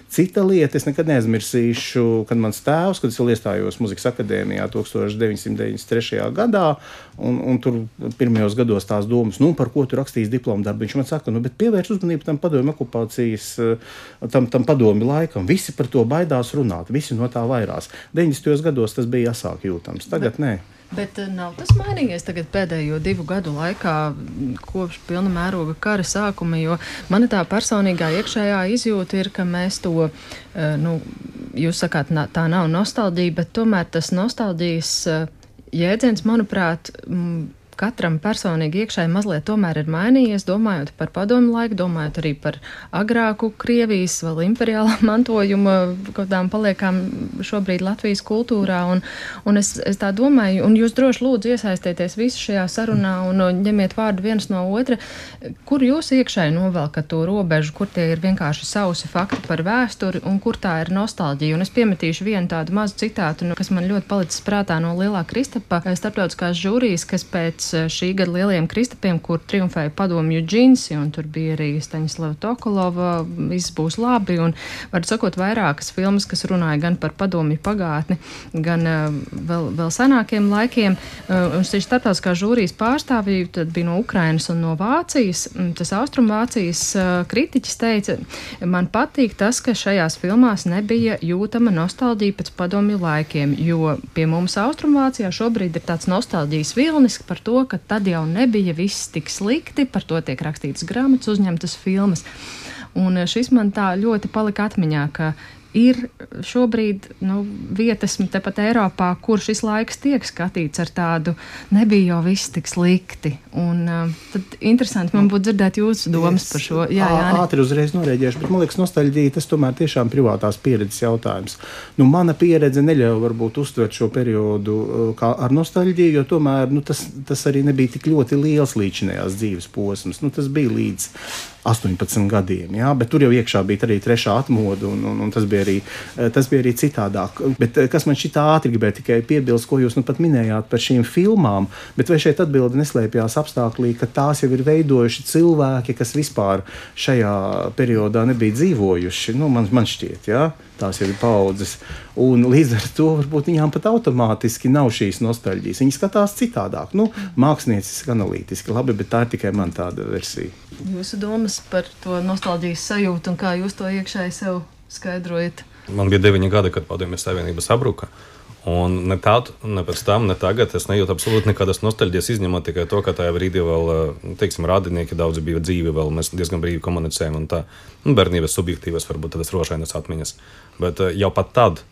Cita lieta, es nekad neaizmirsīšu, kad mans tēvs, kad es vēl iestājos Muzikas akadēmijā 1993. gadā, un tur pirmajos gados tās domas, par ko tu rakstīs diplomu darbu. Viņš man saka, bet pievērš uzmanību tam padomju okupācijas, tam padomju laikam. Visi par to baidās runāt, visi no tā vairās. 90. gados tas bija asāk jūtams, tagad nē. Bet nav tas mainījies tagad pēdējo 2 gadu laikā kopš pilna mēroga kara sākuma, jo mana tā personīgā iekšējā izjūta ir, ka mēs to, jūs sakāt, tā nav nostalģija, bet tomēr tas nostalģijas jēdziens, manuprāt, katram personīgi iekšēji mazliet tomēr ir mainījies, domājot par padomju laiku, domājot arī par agrāku Krievijas, vēl imperiālā mantojuma kādām paliekām šobrīd Latvijas kultūrā, un es tā domāju, un jūs droši lūdzu iesaistieties visu šajā sarunā un ņemiet vārdu viens no otra, kur jūs iekšēji novelkat to robežu, kur tie ir vienkārši sausi fakti par vēsturi un kur tā ir nostalģija. Un es piemetīšu vienu tādu mazu citātu, kas man ļoti palicis prātā no Lielā Kristapa starptautiskās žūrijas, kas pēc šī gada lielajiem kristapiem, kur triumfēja padomju džinsi, un tur bija arī Staņislava Tokolova, viss būs labi, un var sakot vairākas filmas, kas runāja gan par padomju pagātni, gan vēl senākiem laikiem. Un šī starptautiskā žūrijas pārstāvji tad bija no Ukrainas un no Vācijas. Tas Austrumvācijas kritiķis teica, man patīk tas, ka šajās filmās nebija jūtama nostalģija pēc padomju laikiem, jo pie mums Austrumvācijā šobrīd ir tāds nostalģijas vilnis par to, ka tad jau nebija viss tik slikti, par to tiek rakstītas grāmatas, uzņemtas filmas. Un šis man tā ļoti palika atmiņā, ka ir šobrīd vietas tepat Eiropā, kur šis laiks tiek skatīts ar tādu, nebija jau viss tik slikti. Un tad interesanti man būtu dzirdēt jūsu domas par šo. Jā, ātri uzreiz norēģēšu, bet man liekas, nostalģija tas tomēr tiešām privātās pieredzes jautājums. Mana pieredze neļauj varbūt uztvert šo periodu kā ar nostalģiju, jo tomēr tas arī nebija tik ļoti liels līdzinējās dzīves posms. Tas bija līdz 18 gadiem, jā, bet tur jau iekšā bija arī trešā atmoda, un tas bija arī citādāk. Bet kas man šitā ātri gribēja tikai piebilst, ko jūs pat minējāt par šīm filmām, bet vai šeit atbilde neslēpjās apstāklī, ka tās jau ir veidojuši cilvēki, kas vispār šajā periodā nebija dzīvojuši, man šķiet, jā, tās jau ir paudzes, un līdz ar to varbūt viņām pat automātiski nav šīs nostalģijas. Viņi skatās citādāk, mākslinieciski, analītiski, labi, bet tā ir tikai man tāda versija. Jūsu domas par to nostalģijas sajūtu un kā jūs to iekšēji sev skaidrojat? Man bija 9 gadi, kad Padomju Savienība sabruka. Un ne tādu, ne pēc tam, ne tagad es nejūtu absolūti nekādas nostalģijas, izņemot tikai to, ka tajā brīdī vēl, radinieki daudzi bija dzīvi, vēl mēs diezgan brīvi komunicējam un tā. Bērnības subjektīvas, varbūt tādas rošainas atmiņas. Bet jau pat tad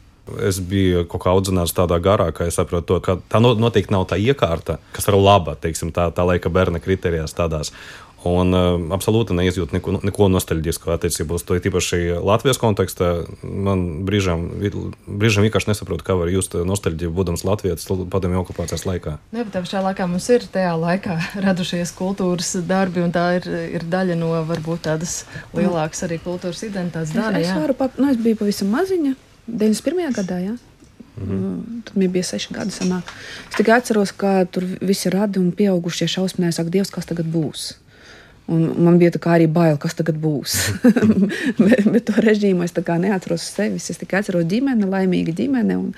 es biju kaut kā audzināts tādā garā, ka es saprotu to, ka tā noteikti nav tā iekārta, kas ir laba, tā laika bērna kriterijās tādās. Un absolūti neizjūt neko nostalģisku attiecībā uz to, tīpaši Latvijas kontekstā. Man brīžām vienkārši nesaprotu, kā var just nostalģiju, būdams Latvijas padomju okupācijas laikā. Jā, bet pašā laikā mums ir tajā laikā radušies kultūras darbi, un tā ir daļa no varbūt tādas lielākas arī kultūras identitātes daļa. Es biju pavisam maziņa, 91. gadā, jā. Tad man bija 6 gadi sanāk. Es tikai atceros, ka tur visi radi un pieaugušie šausminēja, saka, Dievs, kas tagad būs? Un man bija tā kā arī bail, kas tagad būs. bet to režīmu es tā kā neatceros sevis. Es tikai atceros ģimene, laimīga ģimene, un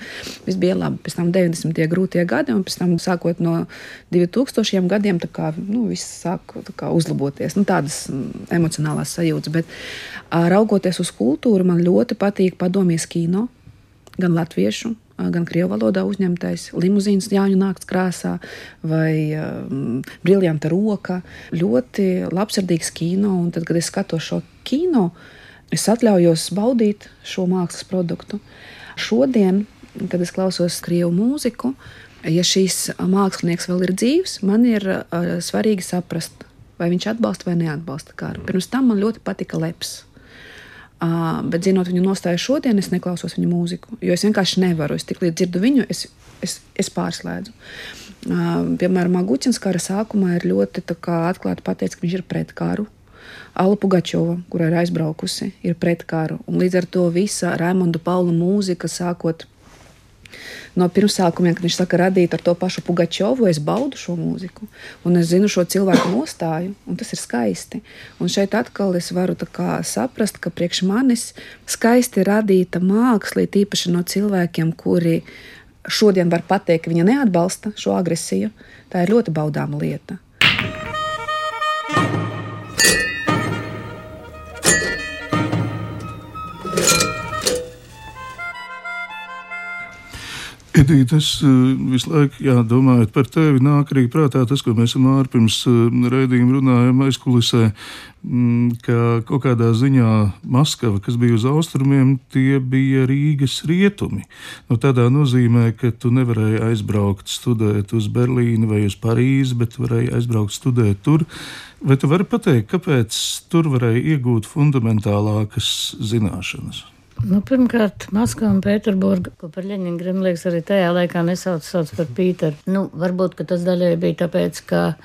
viss bija labi. Pēc tam 90. grūtie gadi, un pēc tam sākot no 2000 gadiem, tā kā, viss sāk tā kā uzlaboties. Tādas emocionālās sajūtas. Bet raugoties uz kultūru, man ļoti patīk padomjas kino, gan latviešu, gan krievu valodā uzņemtais, Limuzīnas Jāņu nakts krāsā vai Briljanta roka. Ļoti labsirdīgs kino, un tad, kad es skatos šo kino, es atļaujos baudīt šo mākslas produktu. Šodien, kad es klausos krievu mūziku, ja šīs mākslinieks vēl ir dzīvs, man ir svarīgi saprast, vai viņš atbalsta vai neatbalsta karu. Pirms tam man ļoti patika Leps. Bet zinot viņu nostāju šodien, es neklausos viņu mūziku, jo es vienkārši nevaru. Es tiklīdz dzirdu viņu, es pārslēdzu. Piemēram, Guķins kara sākumā ir ļoti atklāti pateicis, ka viņš ir pret karu. Alla Pugačova, kura ir aizbraukusi, ir pret karu. Un līdz ar to visa Raimonda Paula mūzika, sākot no pirmsākumiem, kad viņš saka radīt ar to pašu Pugačovu, es baudu šo mūziku. Un es zinu šo cilvēku nostāju, un tas ir skaisti. Un šeit atkal es varu saprast, ka priekš manis skaisti radīta māksla, tīpaši no cilvēkiem, kuri šodien var pateikt, ka viņa neatbalsta šo agresiju. Tā ir ļoti baudāma lieta. Edīte, es visu laiku domājot par tevi, nāk arī prātā tas, ko mēs ar pirms raidījuma runājām aizkulisē, ka kaut kādā ziņā Maskava, kas bija uz austrumiem, tie bija Rīgas rietumi. Tādā nozīmē, ka tu nevarēji aizbraukt studēt uz Berlīni vai uz Parīzi, bet varēji aizbraukt studēt tur. Vai tu vari pateikt, kāpēc tur varēji iegūt fundamentālākas zināšanas? Pirmkārt, Maskava un Pēterburga, ko par Ļeņingradu, liekas, arī tajā laikā sauc par Pīteru. Varbūt, ka tas daļai bija tāpēc, ka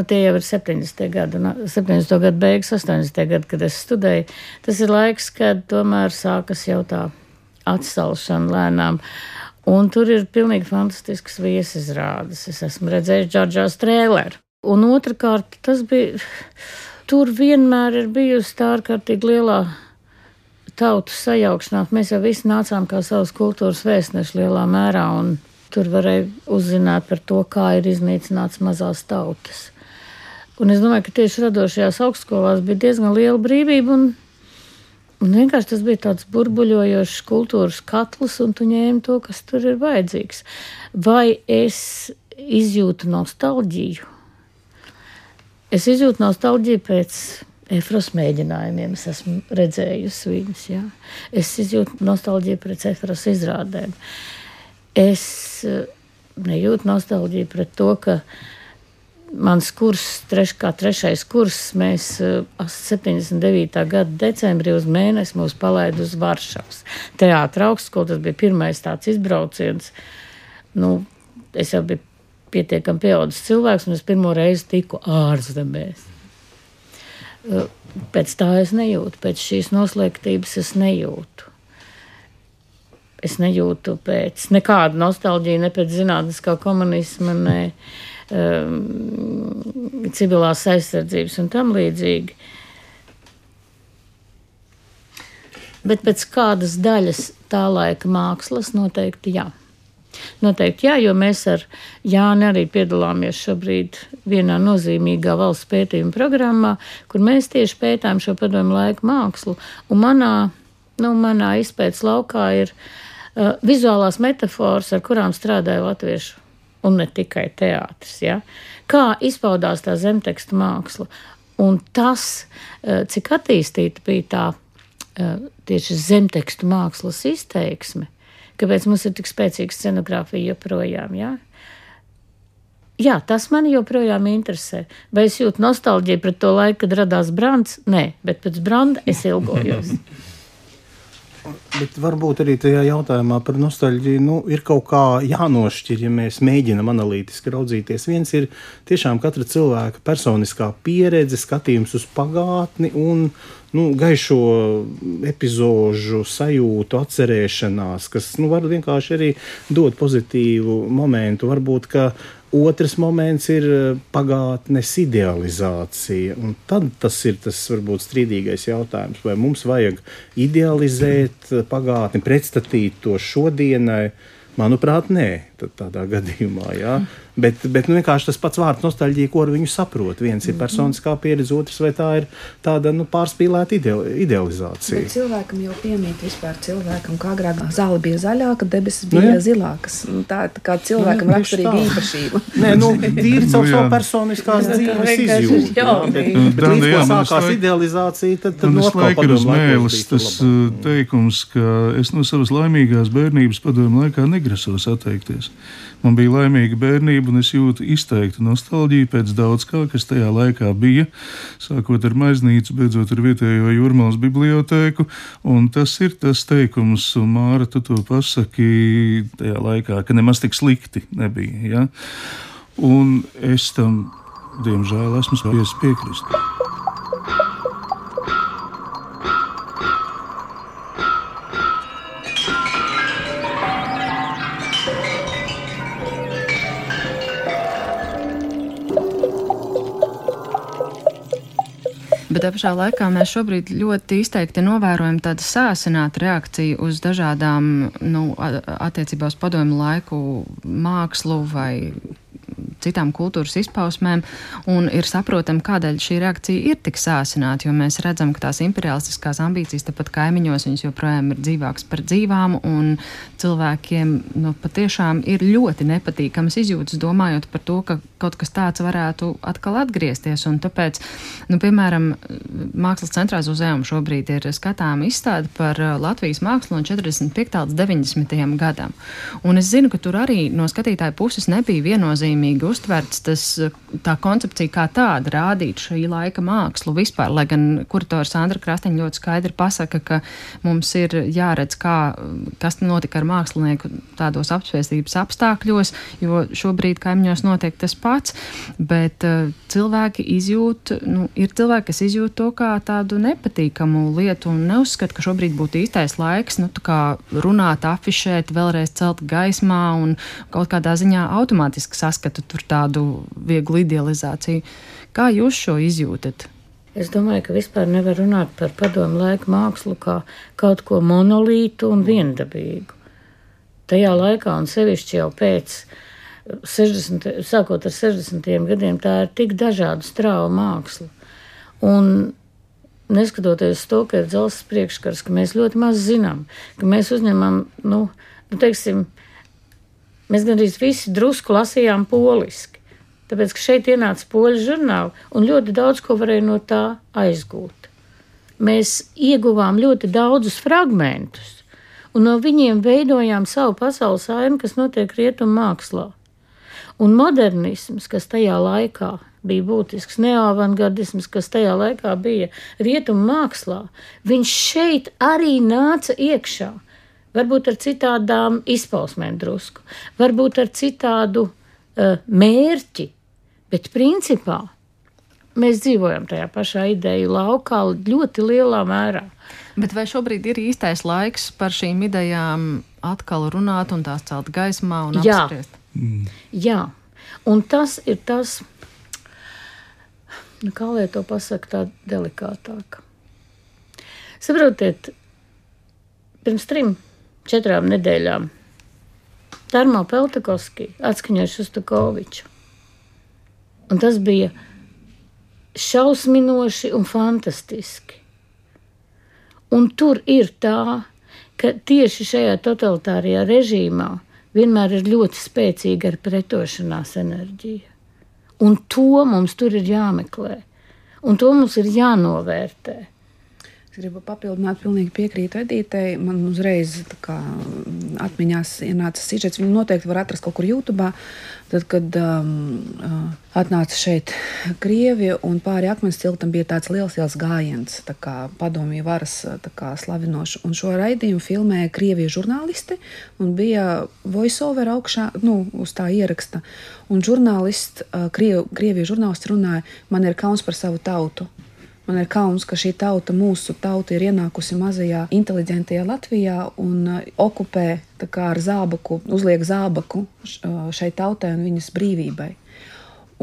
tie jau ir 70. gadu beigas, 80. gadu, kad es studēju. Tas ir laiks, kad tomēr sākas jau tā atsalšana lēnām. Un tur ir pilnīgi fantastisks viesizrādes. Es esmu redzējis Džordžā Strēleru. Un otrkārt, tur vienmēr ir bijusi tā ārkārtīgi lielā tautu sajaukšanās. Mēs jau visi nācām kā savas kultūras vēstneši lielā mērā, un tur varēja uzzināt par to, kā ir iznīcināts mazās tautas. Un es domāju, ka tieši radošajās augstskolās bija diezgan liela brīvība, un vienkārši tas bija tāds burbuļojošs kultūras katls, un tu ņēmi to, kas tur ir vajadzīgs. Vai es izjūtu nostalģiju? Es izjūtu nostalģiju pēc Efros mēģinājumiem. Es esmu redzējusi viņus, jā. Es izjūtu nostalģiju pēc Efros izrādēm. Es nejūtu nostalģiju pret to, ka mans kurs, trešais kurs, mēs 79. gada decembrī uz mēnesi mūs palaida uz Varšavas teātra augstskolu. Tas bija pirmais tāds izbrauciens. Es jau biju pietiekami pieaudzis cilvēks, un es pirmo reizi tiku ārzemēs. Pēc tā es nejūtu, pēc šīs noslēgtības es nejūtu. Es nejūtu pēc nekāda nostalģija, ne pēc zinātniskā komunisma, ne civilās aizsardzības un tam līdzīgi. Bet pēc kādas daļas tā laika mākslas noteikti jā. Noteikti jā, jo mēs ar Jāni arī piedalāmies šobrīd vienā nozīmīgā valsts pētījuma programmā, kur mēs tieši pētām šo padomu laiku mākslu. Un manā izpētes laukā ir vizuālās metaforas, ar kurām strādāja latviešu un ne tikai teātris. Ja? Kā izpaudās tā zemtekstu māksla. Un tas, cik attīstīta bija tā tieši zemtekstu mākslas izteiksme, kāpēc mums ir tik spēcīga scenogrāfija joprojām. Ja? Jā, tas mani joprojām interesē. Vai es jūtu nostalģiju pret to laiku, kad radās Brands? Nē, bet pēc Branda es ilgojos. Bet varbūt arī tajā jautājumā par nostalģiju ir kaut kā jānošķir, ja mēs mēģinam analītiski raudzīties. Viens ir tiešām katra cilvēka personiskā pieredze, skatījums uz pagātni un gaišo epizožu sajūtu, atcerēšanās, kas var vienkārši arī dot pozitīvu momentu. Varbūt, ka otrs moments ir pagātnes idealizācija, un tad tas ir tas varbūt strīdīgais jautājums, vai mums vajag idealizēt pagātni, pretstatīt to šodienai. Manuprāt, nē, tādā gadījumā, jā. Bet vienkārši tas pats vārds nostalģija, ko ar viņu saprot. Viens ir personiskā pieredze, otrs vai tā ir tāda pārspīlēta idealizācija. Bet cilvēkam jau piemīt vispār cilvēkam, kā agrāk zāle bija zaļāka, debesis bija zilākas. Tā kā cilvēkam raksturīga īpašība. Nē, tīri caur savu personiskās dzīves izjūtu. Bet līdz ko sākās idealizācija, tad notkal padomu laikos tas teikums, ka es no savas laimīgās bērnības padomu laikā negrasos atteikties. Man bija laimīga bērnība, un es jūtu izteiktu nostalģiju pēc daudz kā, kas tajā laikā bija, sākot ar Maiznīcu, beidzot ar vietējo Jūrmalas bibliotēku, un tas ir tas teikums, un Māra, tu to pasaki tajā laikā, ka nemaz tik slikti nebija, ja? Un es tam, diemžēl, esmu spējis piekrist. Bet tā pašā laikā mēs šobrīd ļoti izteikti novērojam tādu sāsinātu reakciju uz dažādām attiecībā uz padomju laiku mākslu vai citām kultūras izpausmēm, un ir saprotam, kādēļ šī reakcija ir tik sāsināta, jo mēs redzam, ka tās imperialistiskās ambīcijas tepat kaimiņos viņas joprojām ir dzīvākas par dzīvām, un cilvēkiem patiešām ir ļoti nepatīkamas izjūtas, domājot par to, ka kaut kas tāds varētu atkal atgriezties, un tāpēc, piemēram, Mākslas centrā Zuzējuma šobrīd ir skatāma izstāde par Latvijas mākslu no 45. līdz 90. gadam. Un es zinu, ka tur arī no skatītāju puses nebija viennozīmīgi uztverts tā koncepcija kā tāda, rādīt šī laika mākslu vispār, lai gan kurators Sandra Krastiņa ļoti skaidri pasaka, ka mums ir jāredz, kas notika ar mākslinieku tādos apspiestības apstākļos, jo šobrīd kaimiņos notiek tas pats, bet cilvēki izjūt, ir cilvēki, kas izjūt to kā tādu nepatīkamu lietu un neuzskata, ka šobrīd būtu īstais laiks, tā kā runāt, afišēt, vēlreiz celt gaismā un kaut kādā ziņā automātiski saskatu tur tādu vieglu idealizāciju. Kā jūs šo izjūtat? Es domāju, ka vispār nevar runāt par padomu laiku mākslu kā kaut ko monolītu un viendabīgu. Tajā laikā un sevišķi jau pēc sākot ar 60. gadiem, tā ir tik dažādu strāvu māksla. Un neskatoties to, ka ir dzelzs priekškars, ka mēs ļoti maz zinām, ka mēs uzņemam, teiksim, mēs gandrīz visi drusku lasījām poliski, tāpēc, ka šeit ienāca poļu žurnāli un ļoti daudz ko varēja no tā aizgūt. Mēs ieguvām ļoti daudzus fragmentus un no viņiem veidojām savu pasaules ainu, kas notiek rietumu mākslā. Un modernisms, kas tajā laikā bija būtisks, neoavangardisms, kas tajā laikā bija rietumu mākslā, viņš šeit arī nāca iekšā. Varbūt ar citādām izpausmēm drusku, varbūt ar citādu mērķi, bet principā mēs dzīvojam tajā pašā ideju laukā ļoti lielā mērā. Bet vai šobrīd ir īstais laiks par šīm idejām atkal runāt un tās celt gaismā un apspriest? Jā, un tas ir tas, kā lai to pasaka tā delikātāk. Saprotiet, pirms 3-4 nedēļām Tarmo Peltakovski atskaņoja Šostakoviču. Un tas bija šausminoši un fantastiski. Un tur ir tā, ka tieši šajā totalitārajā režīmā vienmēr ir ļoti spēcīga ar pretošanās enerģija. Un to mums tur ir jāmeklē. Un to mums ir jānovērtē. Es gribu papildināt, pilnīgi piekrītu Edītei. Man uzreiz atmiņās ienāca sižets. Viņu noteikti var atrast kaut kur YouTube. Tad, kad atnāca šeit Krievi un pāri Akmens tiltam bija tāds liels gājiens, tā kā padomju varas slavinoši. Un šo raidījumu filmēja Krieviju žurnālisti un bija voiceover augšā, uz tā ieraksta. Un Krieviju žurnālisti runāja, man ir kauns par savu tautu. Man ir kauns, ka šī tauta, mūsu tauta, ir ienākusi mazajā, inteliģentajā Latvijā un okupē ar zābaku, uzliek zābaku šai tautai un viņas brīvībai.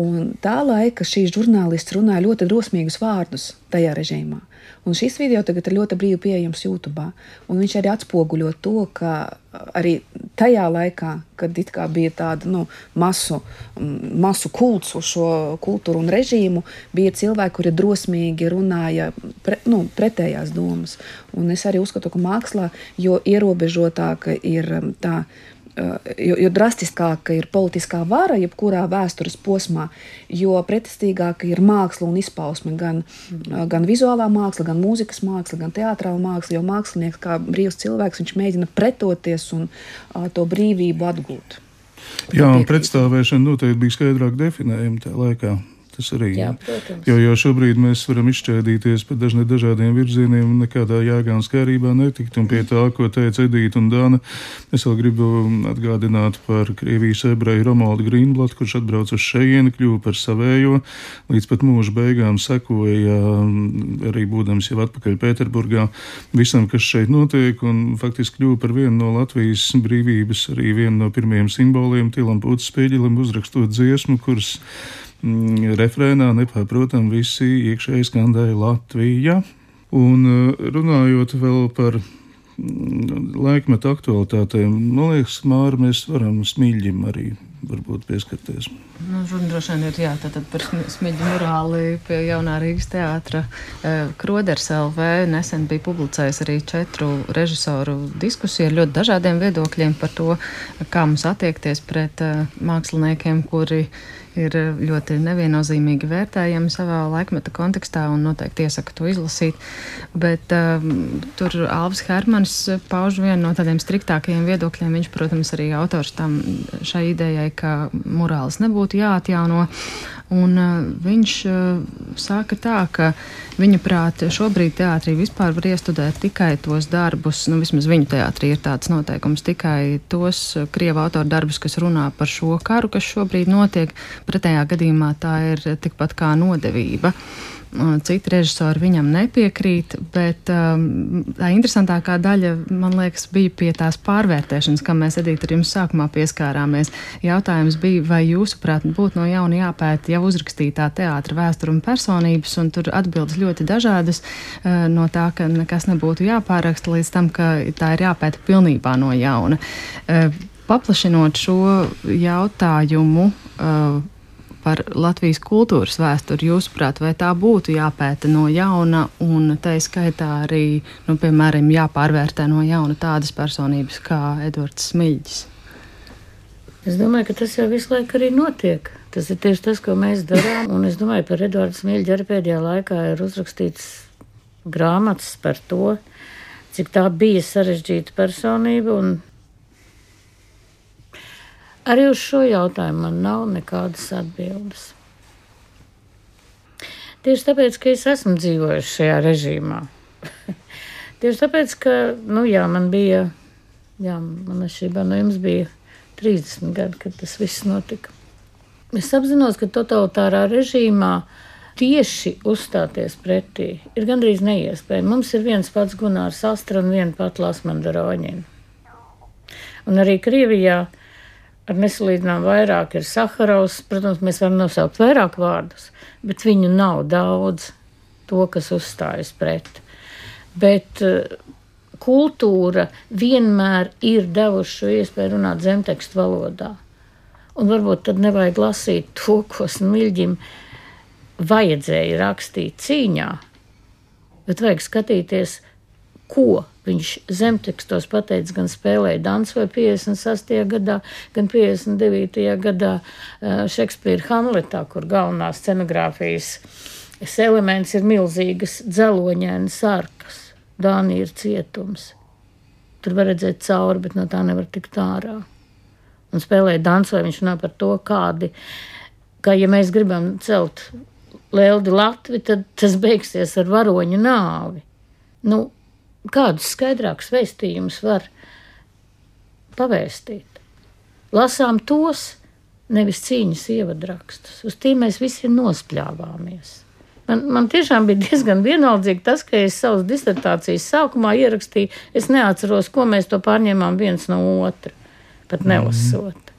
Un tā laika šīs žurnālists runāja ļoti drosmīgus vārdus tajā režīmā. Un šis video tagad ir ļoti brīvi pieejams YouTube. Un viņš arī atspoguļo to, ka arī tajā laikā, kad it kā bija tāda masu kults uz šo kultūru un režīmu, bija cilvēki, kuri drosmīgi runāja pretējās domas. Un es arī uzskatu, ka mākslā, jo ierobežotāka ir tā, jo drastiskāka ir politiskā vara, jebkurā vēstures posmā, jo pretestīgāka ir māksla un izpausme, gan vizuālā māksla, gan mūzikas māksla, gan teātrāla māksla, jo mākslinieks kā brīvs cilvēks, viņš mēģina pretoties un to brīvību atgūt. Jā, un pretstāvēšana noteikti bija skaidrāk definējama tajā laikā. Tas arī, jā, protams. Jo šobrīd mēs varam izšķēdīties pa dažādiem virzieniem un nekādā jēgā un skārībā netikt. Un pie tā, ko teica Edīta un Dāna, es vēl gribu atgādināt par Krievijas ebreju Romualdu Grīnblatu, kurš atbrauc uz šejieni, kļuva par savējo, līdz pat mūža beigām sekoja, arī būdams jau atpakaļ Pēterburgā, visam, kas šeit notiek, un faktiski kļuva par vienu no Latvijas brīvības, arī vienu no pirmajiem simboliem, Tilam Pūtas Spēģelim, uzrakstot dziesmu, kuras refrēnā nepārprotam visi iekšēji skandēja Latvija. Un runājot vēl par laikmetu aktualitātēm, man liekas, Māra, mēs varam Smiļģim arī varbūt pieskarties. Runa droši vien ir tātad par Smiļģu murāli pie Jaunā Rīgas teātra. Kroders LV nesen bija publicējis arī 4 režisoru diskusiju ar ļoti dažādiem viedokļiem par to, kā mums attiekties pret māksliniekiem, kuri ir ļoti neviennozīmīgi vērtējami savā laikmeta kontekstā un noteikti iesaku to izlasīt. Bet tur Alvis Hermanis pauž vienu no tādiem striktākajiem viedokļiem. Viņš, protams, arī autors šai idejai, ka morāles nebūtu jāatjauno. Un viņš saka tā, ka viņa prāt šobrīd teātrī vispār var iestudēt tikai tos darbus, vismaz viņu teātrī ir tāds noteikums, tikai tos krievu autoru darbus, kas runā par šo karu, kas šobrīd notiek. Pretējā gadījumā tā ir tikpat kā nodevība. Citi režisori viņam nepiekrīt, bet tā interesantākā daļa, man liekas, bija pie tās pārvērtēšanas, kam mēs, Edita, ar jums sākumā pieskārāmies. Jautājums bija, vai jūsuprāt būtu no jauna jāpēta jau uzrakstītā teātra vēsture un personības, un tur atbildes ļoti dažādas, no tā, ka nekas nebūtu jāpāraksta, līdz tam, ka tā ir jāpēta pilnībā no jauna. Paplašinot šo jautājumu par Latvijas kultūras vēsturi, jūsuprāt, vai tā būtu jāpēta no jauna un tai skaitā arī, piemēram, jāpārvērtē no jauna tādas personības kā Edvards Smiļģis? Es domāju, ka tas jau visu laiku arī notiek. Tas ir tieši tas, ko mēs darām, un es domāju, par Edvardu Smiļģi arī pēdējā laikā ir uzrakstīts grāmatas par to, cik tā bija sarežģīta personība, un arī uz šo jautājumu man nav nekādas atbildes. Tieši tāpēc, ka es esmu dzīvojis šajā režīmā. Tieši tāpēc, ka, man atšķirībā no jums bija 30 gadi, kad tas viss notika. Es apzinos, ka totalitārā režīmā tieši uzstāties pretī ir gandrīz neiespējami. Mums ir viens pats Gunārs Astra un viena pat Lasmanda Roņina. Un arī Krievijā ar nesalīdzinām vairāk ir Saharovs. Protams, mēs varam nosaukt vairāk vārdus, bet viņu nav daudz, to, kas uzstājas pret. Bet kultūra vienmēr ir devuši šo iespēju runāt zemtekstu valodā. Un varbūt tad nevajag lasīt to, ko Smiļģim vajadzēja rakstīt cīņā, bet vajag skatīties, ko viņš zemtekstos pateica, gan spēlēja Dansu vai 56. gadā, gan 59. gadā Šekspīra Hamletā, kur galvenā scenogrāfijas elements ir milzīgas dzeloņainas arkas. Dānija ir cietums. Tur var redzēt cauri, bet no tā nevar tikt ārā. Un spēlēja Dansu, vai viņš runā par to, ka ja mēs gribam celt Leldi Latvi, tad tas beigsies ar varoņu nāvi. Kādus skaidrākus vēstījumus var pavēstīt? Lasām tos, nevis cīņas ievadраkstus. Uz tiem mēs visi nospļāvāmies. Man tiešām bija diezgan vienaldzīgi tas, ka es savas disertācijas sākumā ierakstīju, es neatceros, ko mēs to pārņēmām viens no otra, pat nelasot.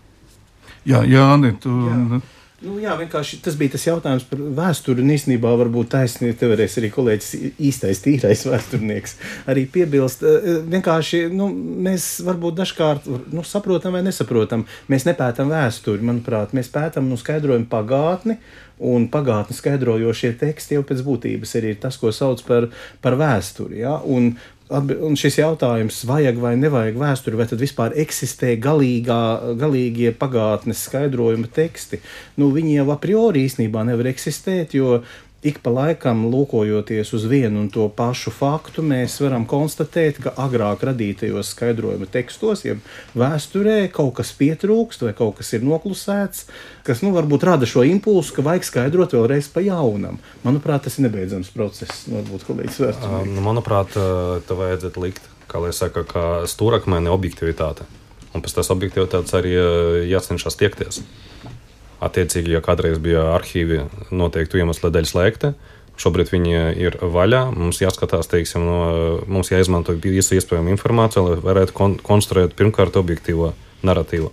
Jā, Jāni, tu... Vienkārši tas bija tas jautājums par vēsturi, un īstenībā varbūt taisnība, te varēs arī kolēģis īstais tīrais vēsturnieks arī piebilst. Vienkārši, mēs varbūt dažkārt, saprotam vai nesaprotam, mēs nepētam vēsturi, manuprāt, mēs pētam, skaidrojam pagātni, un pagātni skaidrojošie teksti jau pēc būtības arī ir tas, ko sauc par vēsturi, ja? Un šis jautājums, vajag vai nevajag vēsturi, vai tad vispār eksistē galīgie pagātnes skaidrojuma teksti, viņi jau a priori īstenībā nevar eksistēt, jo ik pa laikam, lūkojoties uz vienu un to pašu faktu, mēs varam konstatēt, ka agrāk radītajos skaidrojuma tekstos, ja vēsturē kaut kas pietrūkst vai kaut kas ir noklusēts, kas varbūt rada šo impulsu, ka vajag skaidrot vēlreiz pa jaunam. Manuprāt, tas ir nebeidzams process. Varbūt kolēģis vēsturnieks. Manuprāt, te vajadzētu likt, kā lai saka, kā stūrakmeni objektivitāte. Un pēc tās objektivitātes arī jācenšas tiekties. Attiecīgi, ja kādreiz bija arhīvi noteiktu iemeslu dēļ slēgti, šobrīd viņi ir vaļā. Mums jāskatās, mums jāizmanto visu iespējamu informāciju, lai varētu konstruēt pirmkārt objektīvo narratīvu.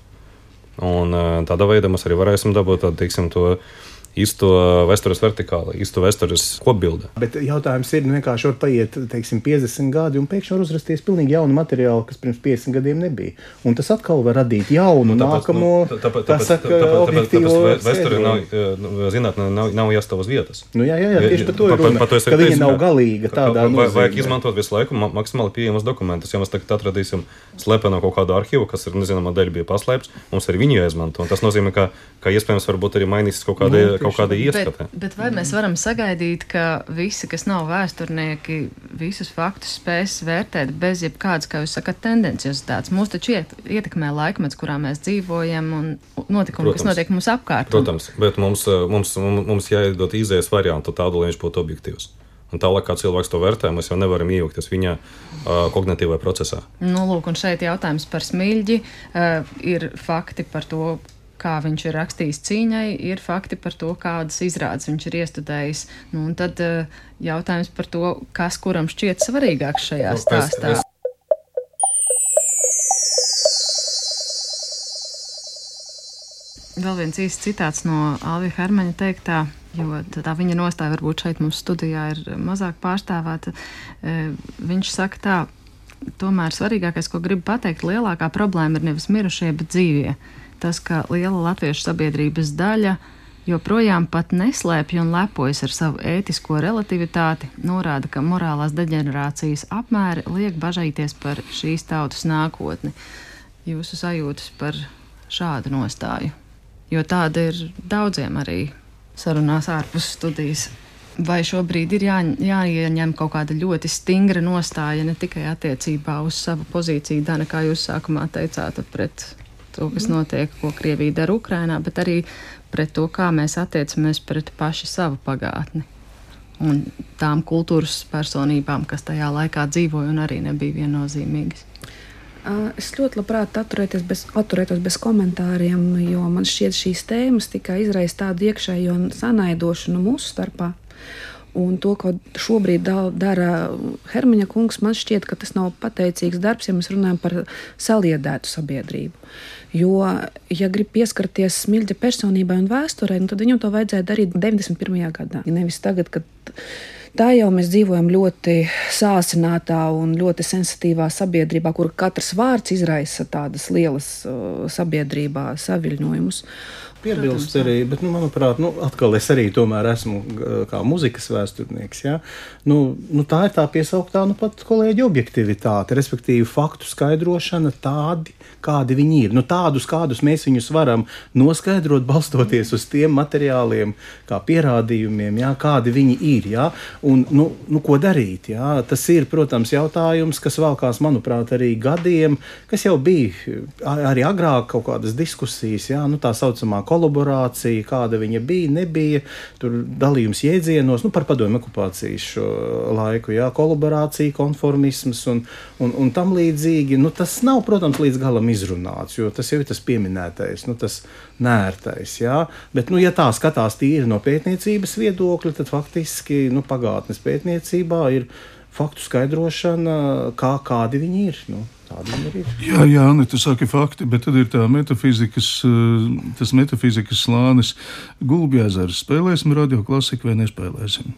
Un tādā veidā mēs arī varēsim dabūt to īsto vēstures vertikāli, īsto vēstures kopbildi. Bet jautājums ir, vienkārši var paiet, teiksim, 50 gadi un pēkšņi var uzrasties pilnīgi jaunu materiālu, kas pirms 50 gadiem nebija. Un tas atkal var radīt jaunu, nākamo, objektīvo vēsture zinātnē nav jāstāv uz vietas. Nu jā, tieši par to ir runa, ka viņa nav galīga tādā nozīmē. Vajag izmantot visu laiku maksimāli pieejamas dokumentus. Ja mēs tagad atradīsim slepeno kaut kādu arhīvu, kas ir nezināmā dēļ bija paslēpts, mums arī viņu jāizmanto. Un tas nozīmē, ka iespējams varbūt arī mainīs kaut kāda ieskata. Bet vai mēs varam sagaidīt, ka visi, kas nav vēsturnieki, visus faktus spēs vērtēt bez jebkādas, kā jūs sakat, tendenciozitātes? Mūs taču ietekmē laikmets, kurā mēs dzīvojam un notikumi, kas notiek mums apkārt. Protams, bet mums jāiedod izējas variantu tādu, lai viņš būtu objektīvs. Un tālāk, kā cilvēks to vērtē, mēs jau nevaram iejaukties viņa kognitīvajā procesā. Nu, lūk, un šeit jautājums par Smiļģi. Ir fakti par to, kā viņš ir rakstījis cīņai, ir fakti par to, kādas izrādes viņš ir iestudējis. Nu, un tad jautājums par to, kas kuram šķiet svarīgāks šajā stāstā. Vēl viens īsts citāts no Alvija Hermaņa teiktā, jo tā viņa nostāja varbūt šeit mums studijā ir mazāk pārstāvēta. Viņš saka tā, tomēr svarīgākais, ko gribu pateikt, lielākā problēma ir nevis mirušie, bet dzīvie. Tas, ka liela latviešu sabiedrības daļa joprojām pat neslēpj un lepojas ar savu ētisko relativitāti, norāda, ka morālās deģenerācijas apmēri liek bažīties par šīs tautas nākotni. Jūsu sajūtas par šādu nostāju? Jo tāda ir daudziem arī sarunās ārpus studijas. Vai šobrīd ir jāieņem kaut kāda ļoti stingra nostāja ne tikai attiecībā uz savu pozīciju, Dana, kā jūs sākumā teicāt, pret to, kas notiek, ko Krievija dara Ukrainā, bet arī pret to, kā mēs attiecamies pret paši savu pagātni un tām kultūras personībām, kas tajā laikā dzīvoja un arī nebija viennozīmīgas. Es ļoti labprāt atturētos bez komentāriem, jo man šķiet šīs tēmas tikai izraisa tādu iekšējo sanaidošanu mūsu starpā. Un to, ko šobrīd dara Hermaņa kungs, man šķiet, ka tas nav pateicīgs darbs, ja mēs runājam par saliedētu sabiedrību. Jo, ja grib pieskarties Smiļģa personībai un vēsturei, tad viņam to vajadzēja darīt 91. gadā. Nevis tagad, kad tā jau mēs dzīvojam ļoti sāsinātā un ļoti sensitīvā sabiedrībā, kur katrs vārds izraisa tādas lielas sabiedrībā saviļņojumus. Piebilst arī, bet, manuprāt, atkal es arī tomēr esmu kā muzikas vēsturnieks, ja? Tā ir tā piesauktā, pat kolēģi objektivitāte, respektīvi faktu skaidrošana tādi, kādi viņi ir. Tādus, kādus mēs viņus varam noskaidrot, balstoties uz tiem materiāliem, kā pierādījumiem, ja? Kādi viņi ir, ja? Un, ko darīt, ja? Tas ir, protams, jautājums, kas valkās, manuprāt, arī gadiem, kas jau bija arī agrāk kaut kādas diskusijas, ja? Tā saucamā kolaborācija, kāda viņa bija, nebija, tur dalījums jēdzienos, par padomju okupācijas šo laiku, jā, kolaborācija, konformisms un tam līdzīgi. Tas nav, protams, līdz galam izrunāts, jo tas jau ir tas pieminētais, tas nērtais, jā. Bet, ja tā skatās tīri no pētniecības viedokļa, tad faktiski, pagātnes pētniecībā ir faktu skaidrošana, kādi viņi ir, Jā, tu saki fakti, bet tad ir tā tas metafizikas slānis. Gulbjezers, spēlēsim radioklasiku vai nespēlēsim?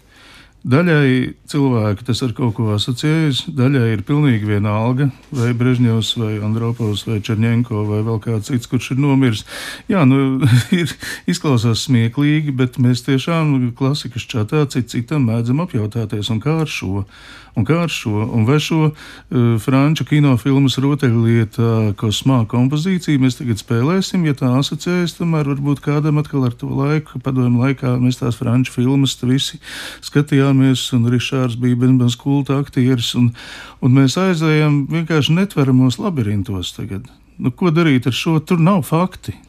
Daļai cilvēki tas ar kaut ko asociējas, daļai ir pilnīgi vienalga, vai Brežņevs, vai Andropovs, vai Čerņenko, vai vēl kāds cits, kurš ir nomiris. Jā, izklausās smieklīgi, bet mēs tiešām klasikas čatā citam mēdzam apjautāties, un kā ar šo? Un vai šo franču kinofilmas rotaļlieta kosmā kompozīciju mēs tagad spēlēsim, ja tā asociējas, tomēr varbūt kādam atkal ar to laiku, padomju laikā mēs tās franču filmas visi skatījāmies, un Rišārds bija bezmaz kulta aktieris, un mēs aizējam vienkārši netveramos labirintos tagad. Ko darīt ar šo? Tur nav fakti.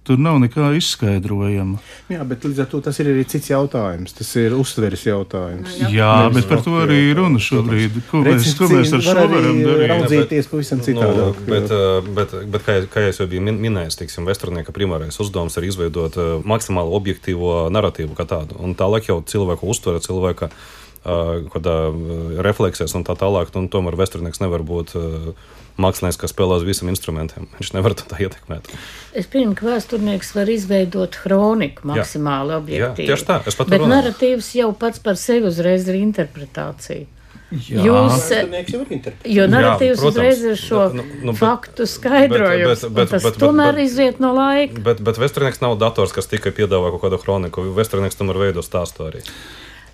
Tur nav nekā izskaidrojama. Jā, bet līdz ar to tas ir arī cits jautājums. Tas ir uztveres jautājums. Jā, bet par to arī runa šobrīd. Ko mēs ar šo varam darīt? Raudzīties pavisam citādāk. Bet kā es jau biju minējis, vēsturnieka primārais uzdevums ir izveidot maksimāli objektīvo naratīvu kā tādu. Un tālāk jau cilvēku uztvere, cilvēka kādā refleksēs un tā tālāk, un tomēr vēsturnieks nevar būt mākslinieks, kas spēlē uz visiem instrumentiem. Viņš nevar to tā ietekmēt. Es pieņemu, ka vēsturnieks var izveidot hroniku maksimāli objektīvi. Jā, tieši tā. Bet narratīvs jau pats par sevi uzreiz ir interpretācija. Jo narratīvs uzreiz ir šo faktu skaidrojums, tas tomēr iziet no laika. Bet vēsturnieks nav dators, kas tikai piedāvā kaut kādu hroniku. Vēsturnieks tomēr veido stāstu arī.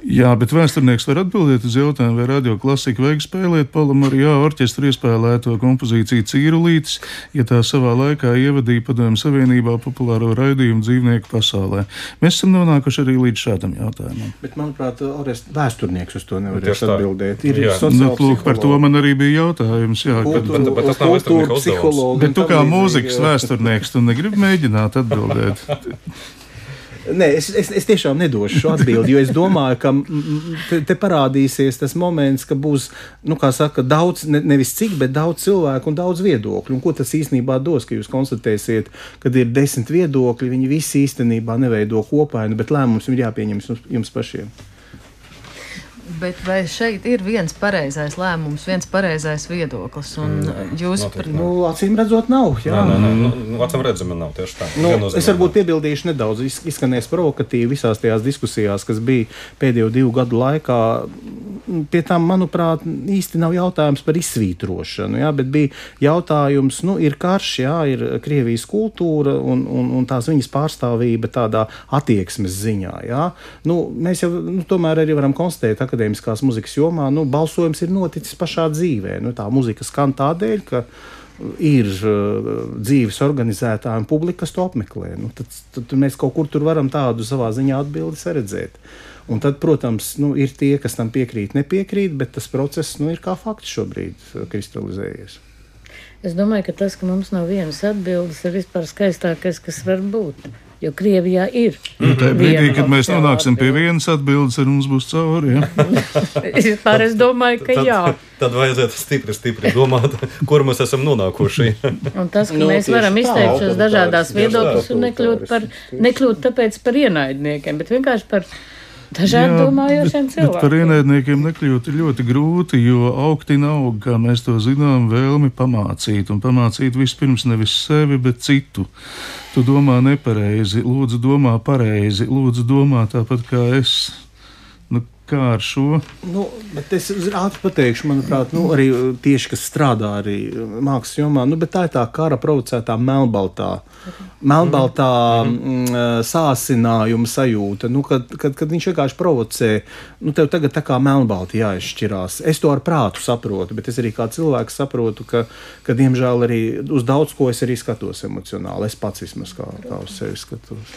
Jā, bet vēsturnieks var atbildēt uz jautājumu, vai radio klasika vajag spēlēt Palomarijā orķestra iespēlēto kompozīciju Cīrulītis, ja tā savā laikā ievadīja Padomju Savienībā populāro raidījumu dzīvnieku pasaulē. Mēs esam nonākuši arī līdz šādam jautājumam. Bet, manuprāt, vēsturnieks uz to nevarēs atbildēt. Lūk, par to man arī bija jautājums. Jā, bet tas nav vēsturnieka uzdevums. Bet tu kā mūzikas vēsturnieks, tu negribi mēģināt atbildēt? Nē, es tiešām nedošu šo atbildi, jo es domāju, ka te parādīsies tas moments, ka būs, kā saka, daudz, nevis cik, bet daudz cilvēku un daudz viedokļu. Un ko tas īstenībā dos, ka jūs konstatēsiet, kad ir 10 viedokļi, viņi visi īstenībā neveido kopainu, bet lēmums ir jāpieņem jums pašiem. Bet vai šeit ir viens pareizais lēmums, viens pareizais viedoklis? Un jūs acīm redzot, nav. Jā. Acīm redzami nav tieši tā. Es varbūt piebildīšu nedaudz, izskanēs provokatīvi visās tajās diskusijās, kas bija pēdējo 2 gadu laikā. Pie tām, manuprāt, īsti nav jautājums par izsvītrošanu, jā, bet bija jautājums, ir karš, jā, ir Krievijas kultūra un tās viņas pārstāvība tādā attieksmes ziņā, jā. Mēs jau tomēr arī varam konstatēt akadēmiskās muzikas jomā, balsojums ir noticis pašā dzīvē. Tā muzika skan tādēļ, ka ir dzīves organizētāji un publika, kas to apmeklē. Tad mēs kaut kur tur varam tādu savā ziņā atbildi saredzēt. Un tad, protams, ir tie, kas tam piekrīt, nepiekrīt, bet tas process ir kā fakts šobrīd kristalizējies. Es domāju, ka tas, ka mums nav vienas atbildes, ir vispār skaistākais, kas var būt. Jo Krievijā ir. Tā brīdī, kad mēs nonāksim pie vienas atbildes, ar mums būs cauri. Vispār es domāju, ka jā. Tad vajadzētu stipri domāt, kur mēs esam nonākuši. Un tas, ka mēs varam izteikt šos dažādās viedokļus un nekļūt tāpēc par ienaidniekiem, bet vienkārši par dažādi domājošiem cilvēkiem. Bet par ienaidniekiem nekļūt ir ļoti grūti, jo augti aug, kā mēs to zinām, vēlmi pamācīt. Un pamācīt vispirms nevis sevi, bet citu. Tu domā nepareizi, lūdzu domā pareizi, lūdzu domā tāpat kā es. Kā ar šo? Bet es ātri pateikšu, manuprāt, arī tieši, kas strādā arī mākslas jomā, bet tā ir tā kara provocētā melnbaltā sāsinājuma sajūta, kad viņš vienkārši provocē, tev tagad tā kā melnbalti jāizšķirās. Es to ar prātu saprotu, bet es arī kā cilvēks saprotu, ka diemžēl arī uz daudz ko es arī skatos emocionāli. Es pats vismaz kā uz sevi skatos.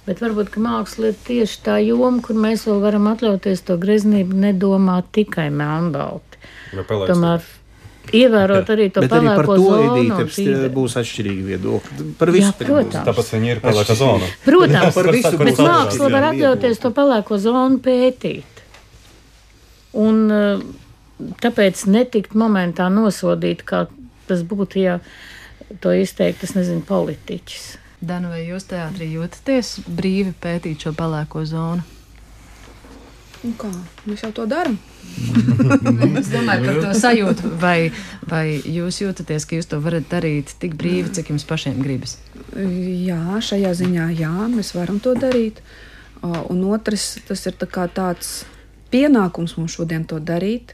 Bet varbūt, ka māksla ir tieši tā joma, kur mēs vēl varam atļauties to greznību nedomāt tikai melnbalti. Tomēr ievērot arī to pelēko zonu. Bet arī par to Edīte būs atšķirīgi viedokļi. Par visu. Protams. Tāpēc viņi ir pelēkā zona. Protams, bet māksla var atļauties to pelēko zonu pētīt. Un tāpēc netikt momentā nosodīt, kā tas būtu, ja to izteikt, es nezinu, politiķis. Dana, vai jūs teātrī jūtaties brīvi pētīt šo pelēko zonu? Kā? Mēs jau to darām. Es domāju par to sajūtu, vai jūs jūtaties, ka jūs to varat darīt tik brīvi, cik jums pašiem gribas? Jā, šajā ziņā jā, mēs varam to darīt. Un otrs, tas ir tāds pienākums mums šodien to darīt.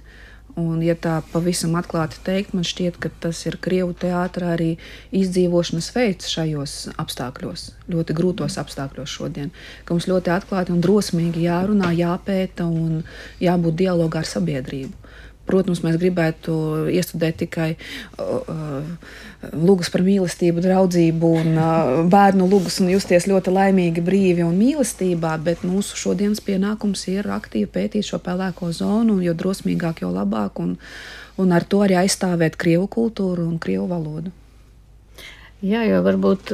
Un, ja tā pavisam atklāti teikt, man šķiet, ka tas ir Krievu teātrā arī izdzīvošanas veids šajos apstākļos, ļoti grūtos apstākļos šodien, ka mums ļoti atklāti un drosmīgi jārunā, jāpēta un jābūt dialogā ar sabiedrību. Protams, mēs gribētu iestudēt tikai lugas par mīlestību, draudzību un bērnu lugas un justies ļoti laimīgi, brīvi un mīlestībā, bet mūsu šodienas pienākums ir aktīvi pētīt šo pelēko zonu, jo drosmīgāk, jo labāk, un ar to arī aizstāvēt Krievu kultūru un Krievu valodu. Jā, jo varbūt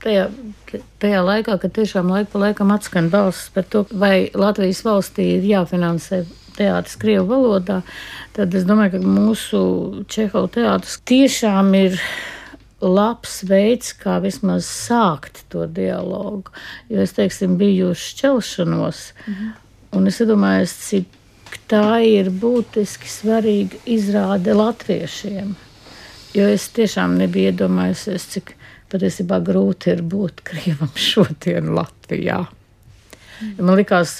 tajā laikā, kad tiešām laika pa laikam atskan balss par to, vai Latvijas valstī ir jāfinansē teātris Krievu valodā, tad es domāju, ka mūsu Čehova teātris tiešām ir labs veids, kā vismaz sākt to dialogu. Jo es, biju šķelšanos, un es iedomājos, cik ka tā ir būtiski svarīga izrāde latviešiem. Jo es tiešām nebiju iedomājusies, cik patiesībā grūti ir būt krievam šodien Latvijā. Man likās,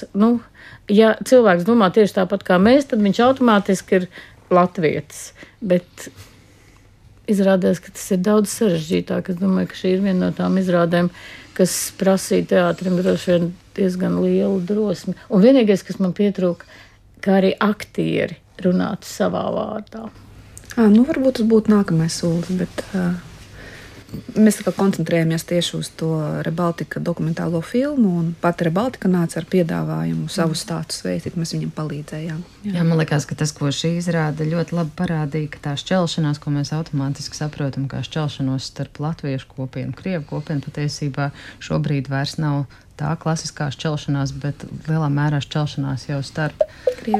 ja cilvēks domā tieši tāpat kā mēs, tad viņš automātiski ir latvietis. Bet izrādās, ka tas ir daudz sarežģītāk. Es domāju, ka šī ir viena no tām izrādēm, kas prasīja teātrim droši vien diezgan lielu drosmi. Un vienīgais, kas man pietrūka, kā arī aktieri runātu savā vārdā. Varbūt tas būtu nākamais solis, bet mēs koncentrējamies tieši uz to Rebaltika dokumentālo filmu, un pat Rebaltika nāca ar piedāvājumu savu stāstu sveitīt, mēs viņam palīdzējām. Jā, man liekas, ka tas, ko šī izrāda ļoti labi parādīja, ka tā šķelšanās, ko mēs automātiski saprotam kā šķelšanos starp latviešu kopienu, krievu kopienu, patiesībā šobrīd vairs nav tā klasiskā šķelšanās, bet lielā mērā šķelšanās jau starp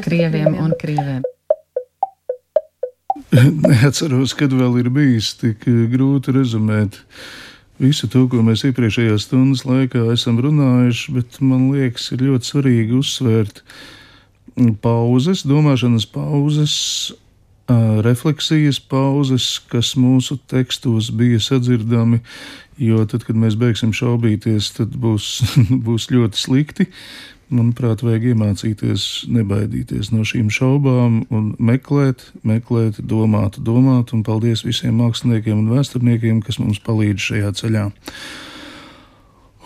krieviem un krieviem. Neatceros, kad vēl ir bijis tik grūti rezumēt visu to, ko mēs iepriekšējās stundas laikā esam runājuši, bet man liekas, ir ļoti svarīgi uzsvērt pauzes, domāšanas pauzes, refleksijas pauzes, kas mūsu tekstos bija sadzirdami, jo tad, kad mēs beigsim šaubīties, tad būs ļoti slikti. Manuprāt, vajag iemācīties nebaidīties no šīm šaubām un meklēt, domāt, un paldies visiem māksliniekiem un vēsturniekiem, kas mums palīdz šajā ceļā.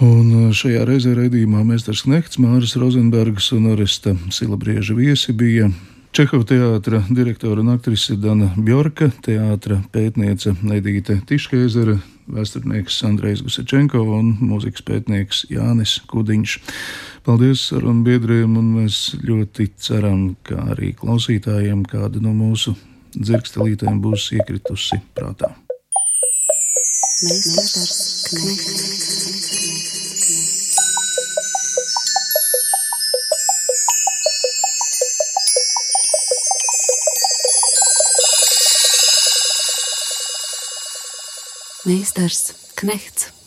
Un šajā reizē raidījumā Mēsters Knehts, Māris Rozenbergs un Oresta Silabrieža viesi bija Čehova teātra direktora un aktrise Dana Bjorka, teātra pētniece Edīte Tiškeizere, vēsturnieks Andrejs Gusečenko un mūzikas pētnieks Jānis Kudiņš. Paldies sarunbiedriem, un mēs ļoti ceram, ka arī klausītājiem kāda no mūsu dzirkstelītēm būs iekritusi prātā. Mēsters Knehts. Mēsters Knehts.